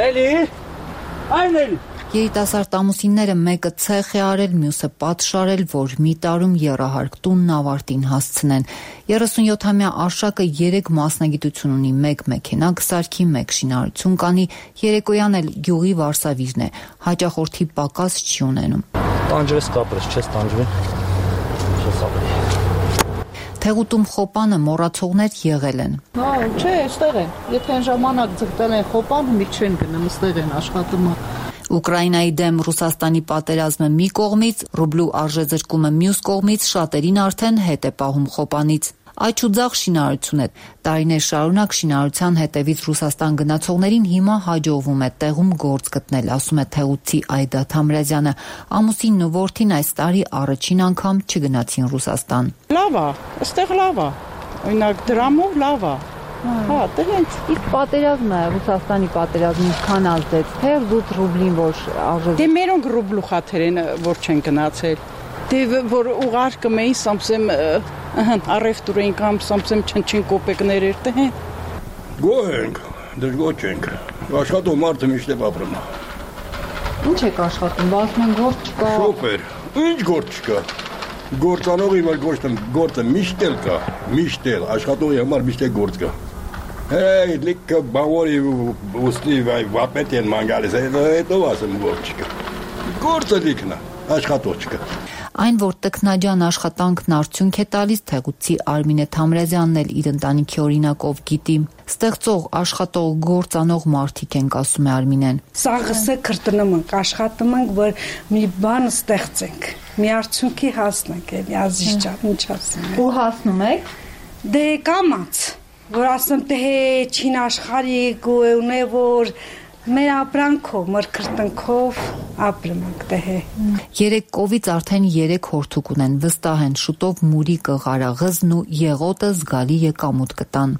Նելի, այն Նելի։ Երիտասարդ ամուսինները մեկը ցեխ է արել, մյուսը պատշարել, որ մի տարում եռահարկ տունն ավարտին հասցնեն։ 37-ամյա Արշակը 3 մասնագիտություն ունի, 1 մեքենա կսարքի, 1 շինարարություն կանի, երեկոյան էլ գյուղի վարսավիրն է, հաճախորդի պակաս չի ունենում։ Տանջվես կապրես, չես տանջվի։ Չես ապրի։ Թեղուտում խոպանը մոռացողներ եղել են։ Հա, չէ, այստեղ են։ Եթե այն ժամանակ ձգտել են խոպան, մի չեն գնում, այստեղ են աշխատում։ Ուկրաինայի դեմ Ռուսաստանի պատերազմը մի կողմից, ռուբլու արժեզրկումը մյուս կողմից շատերին արդեն հետ է պահում խոպանից։ Այչ ու ձախ շինարարություն է։ Տարիներ շարունակ շինարարության հետևից Ռուսաստան գնացողներին հիմա հաջողվում է տեղում գործ գտնել, ասում է թեղուտցի Այդա Թամրազյանը։ Ամուսինն ու որդին այս տարի առաջին անգամ չգնացին Ռուսաստան։ Լավ է, այստեղ լավ է։ Օրինակ դրամով լավ է։ Հա, դրանց իսկ պատերազմը, Ռուսաստանի պատերազմը ինչքան ազդեց, թե ռուբլին որ արժե։ Դե մերոնք ռուբլու խաթեր են, որ չեն գնացել։ Դե որ ուղարկում էին, սամսեմ առևտուրային կամ սամսեմ չնչին կոպեկներ էր, թե։ Գոհ ենք, դժգոհ չենք։ Աշխատում մարդը միշտ է ապրում։ Ինչ եք աշխատում, ասում են գործ չկա։ Շոֆեր, ինչ գործ չկա։ Գործանողի վար գործը միշտ էլ կա, միշտ էլ, աշխատողի համար միշտ է գործ կա։ Hey, լիքը բավորի ուստի վապետ են մանգալիս, հետո ասեմ գործ չկա։ Գործը լիքն է, աշխատող չկա։ Այն, որ տքնաջան աշխատանքն արդյունք է տալիս, թեղուտցի Արմինե Թամրազյանն էլ իր ընտանիքի օրինակով գիտի։ Ստեղծող, աշխատող, գործանող մարդիկ ենք, ասում է Արմինեն։ Սաղսը քրտնում ենք, աշխատում ենք, որ մի բան ստեղծենք, մի արդյունքի հասնենք, էլի ազիջան, ինչ ասեմ։ Ու հասնում եք։ Դե կամաց, որ ասեմ թե չին աշխարհիկ ու ունե որ Մեր ապրանքով, մրգրտնքով ապրում ենք դե։ Երեք կովից արդեն 3 հորթուկ ունեն, վստահ են շուտով մուրի կղարաղզն ու եղոտը զգալի եկամուտ կտան։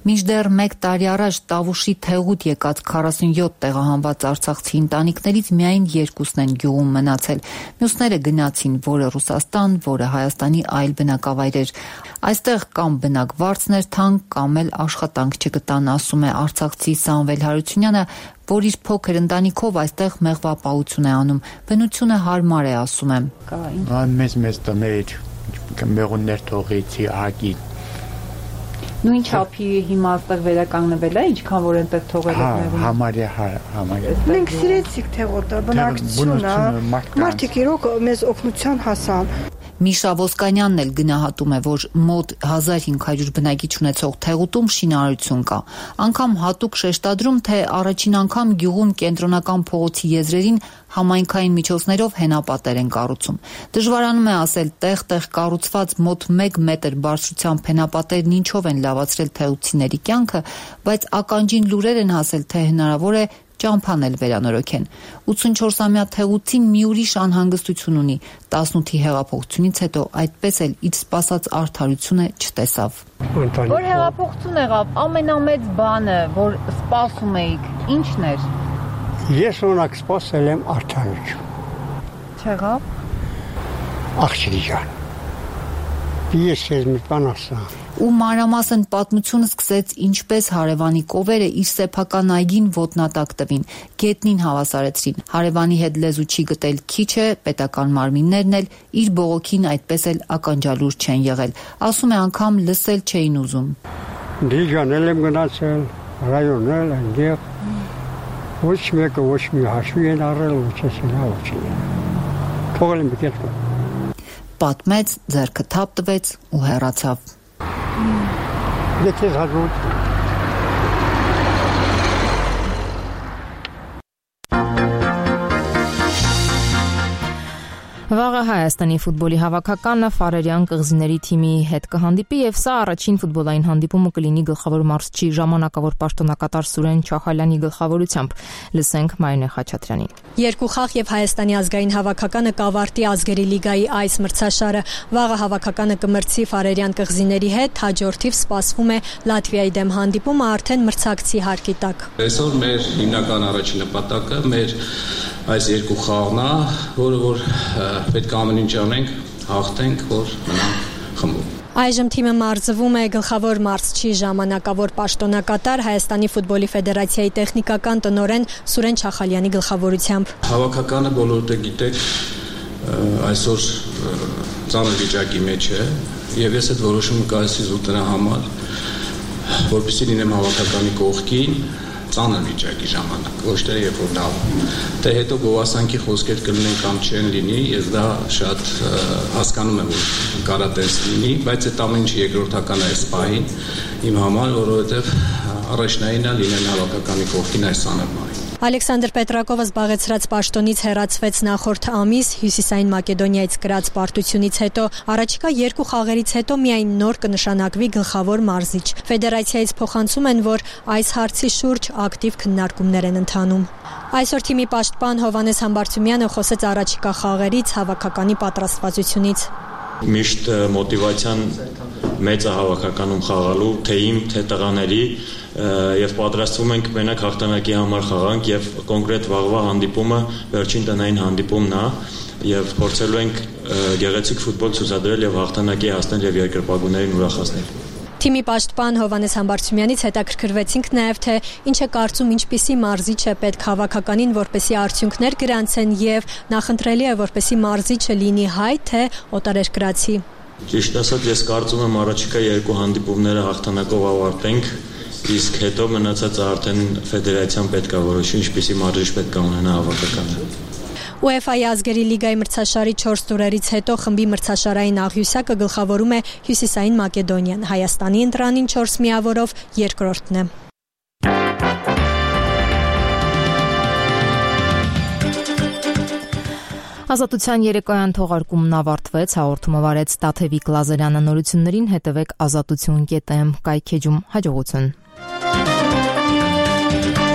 Մինչդեռ 1 տարի առաջ Տավուշի Թեղուտ եկած 47 տեղահանված արցախցի ընտանիքներից միայն 2-ն են գյուղում մնացել։ Մյուսները գնացին որը Ռուսաստան, որը Հայաստանի այլ բնակավայրեր։ Այստեղ կամ բնակվարձներ թանկ, կամ էլ աշխատանք չգտան, ասում է արցախցի Սամվել Հարությունյանը, որ իր փոքր ընտանիքով այստեղ մեղվապահություն է անում։ Բնությունը հարմար է, ասում է։ Մեծ տներ, մեղուններ թողեցի ահագի։ Նույն չափի հիմա այստեղ վերականգնվել է, ինչքան որ այնտեղ թողել եք մեղուն։ Համարյա։ Մենք սիրեցիք Թեղոտը, բնակչությունը, մարդիկ իրոք մեզ օգնության հասան։ Միշա Ոսկանյանն էլ գնահատում է, որ մոտ 1500 բնակիչ ունեցող Թեղուտում շինարարություն կա։ Անգամ հատուկ շեշտադրում, թե առաջին անգամ գյուղում կենտրոնական փողոցի եզրերին համայնքային միջոցներով հենապատեր են կառուցում։ Դժվարանում է ասել, տեղ-տեղ կառուցված մոտ 1 մետր բարձրությամբ հենապատերն ինչով են լավացրել թեղուցիների կյանքը, բայց ականջին լուրեր են հասել, թե հնարավոր է ճամփան էլ վերանորոգեն։ 84-ամյա Թեղուցին մի ուրիշ անհանգստություն ունի։ 18-ի հեղափոխությունից հետո այդպես էլ իր սպասած արդարությունը չտեսավ։ Որ հեղափոխություն եղավ, ամենամեծ բանը, որ սպասում էիք, ի՞նչն էր։ Ես օրինակ սպասել եմ արդարություն։ Չեղավ։ Աղջիկի ջան։ Ես ես մի բան ասա։ Ու մանրամասն պատմությունը սկսեց ինչպես հարևանի կովերը իր սեփական այգին ոտնատակ տվին, գետնին հավասարեցրին։ Հարևանի հետ լեզու չի գտել քիչ է, պետական մարմիններն էլ իր բողոքին այդպես էլ ականջալուր չեն եղել։ Ասում է անգամ լսել չէին ուզում։ Դիժանել եմ գնացել, ռայոնել այնտեղ։ Ոչ մեկը ոչ մի հաշվի են առել, ոչ չի։ Թողել եմ գետը։ Պատմեց, ձեռքը թափ տվեց ու հեռացավ։ Դե հաջորդ Վաղը Հայաստանի ֆուտբոլի հավաքականը Ֆարերյան կղզիների թիմի հետ կհանդիպի եւ սա առաջին ֆուտբոլային հանդիպումը կլինի գլխավոր մարզչի ժամանակավոր պաշտոնակատար Սուրեն Չախալյանի գլխավորությամբ։ Լսենք Մարինե Խաչատրյանին։ Երկու խաղ եւ Հայաստանի ազգային հավաքականը կավարտի ազգերի լիգայի այս մրցաշարը։ Վաղը հավաքականը կմրցի Ֆարերյան կղզիների հետ, հաջորդիվ սպասվում է Լատվիայի դեմ հանդիպումը արդեն մրցակցի հարկի տակ։ Այսօր մեր հիմնական առաջին նպատակը մեր այս երկու խաղն է, որը պետք է ամեն ինչ անենք, հաղթենք, որ մնանք խմբում։ Այժմ թիմը մարզվում է գլխավոր մարզչի ժամանակավոր պաշտոնակատար Հայաստանի ֆուտբոլի ֆեդերացիայի տեխնիկական տնօրեն Սուրեն Չախալյանի գլխավորությամբ։ Հավաքականը բոլորը գիտեք, այսօր ծանր վիճակի մեջ է, եւ ես այդ որոշումը կայացրի դրա համար, որպեսզի լինեմ հավաքականի կողքին ծանր վիճակի ժամանակ, ոչ թե երբ որ լավ։ Դե հետո գովասանքի խոսքեր կլինեն կամ չեն լինի, ես դա շատ հասկանում եմ, որ կարա տես լինի, բայց այդ ամեն ինչը երկրորդական է այս պահին իմ համար, որովհետև առաջնայինը լինեն հավաքականի կողքին այս ծանր պահին։ Ալեքսանդր Պետրակովը զբաղեցրած պաշտոնից հեռացվեց նախորդ ամիս Հյուսիսային Մակեդոնիայից կրած պարտությունից հետո։ Առաջիկա երկու խաղերից հետո միայն նոր կնշանակվի գլխավոր մարզիչ։ Ֆեդերացիայից փոխանցում են, որ այս հարցի շուրջ ակտիվ քննարկումներ են ընթանում։ Այսօր թիմի պաշտպան Հովհաննես Համբարձումյանը խոսեց առաջիկա խաղերից, հավաքականի պատրաստվածությունից։ Միշտ մոտիվացիան մեծ է հավաքականում խաղալու, թե իմ, թե տղաների, եւ պատրաստվում ենք մենակ հաղթանակի համար խաղանք եւ կոնկրետ վաղվա հանդիպումը վերջին տնային հանդիպումն է եւ փորձելու ենք գեղեցիկ ֆուտբոլ ցուցադրել եւ հաղթանակի հասնել եւ երկրպագուներին ուրախացնել։ Թիմի պաշտպան Հովհաննես Համբարձումյանից հետաքրքրվեցինք նաև, թե ինչ է կարծում, ինչպիսի մարզիչ է պետք հավաքականին, որպեսի արդյունքներ գրանցեն եւ նախընտրելի է, որպեսի մարզիչը լինի հայ, թե օտարերկրացի։ Ճիշտ ասած, ես կարծում եմ առաջիկա երկու հանդիպումները հաղթանակով ավարտենք, իսկ հետո մնացածը արդեն ֆեդերացիան պետք է որոշի, ինչպիսի մարզիչ պետք է ունենա հավաքականը։ UEFA-ի ազգերի լիգայի մրցաշարի 4 տուրերից հետո խմբի մրցաշարային աղյուսակը գլխավորում է Հյուսիսային Մակեդոնիան, Հայաստանի ընտրանին 4 միավորով երկրորդն է։ Ազատության երեկոյան թողարկումն ավարտվեց, հաղորդումը վարեց Տաթևիկ Լազարյանը, նորություններին հետևեք azatutun.am կայքեջում, հաջողություն։ Thank you.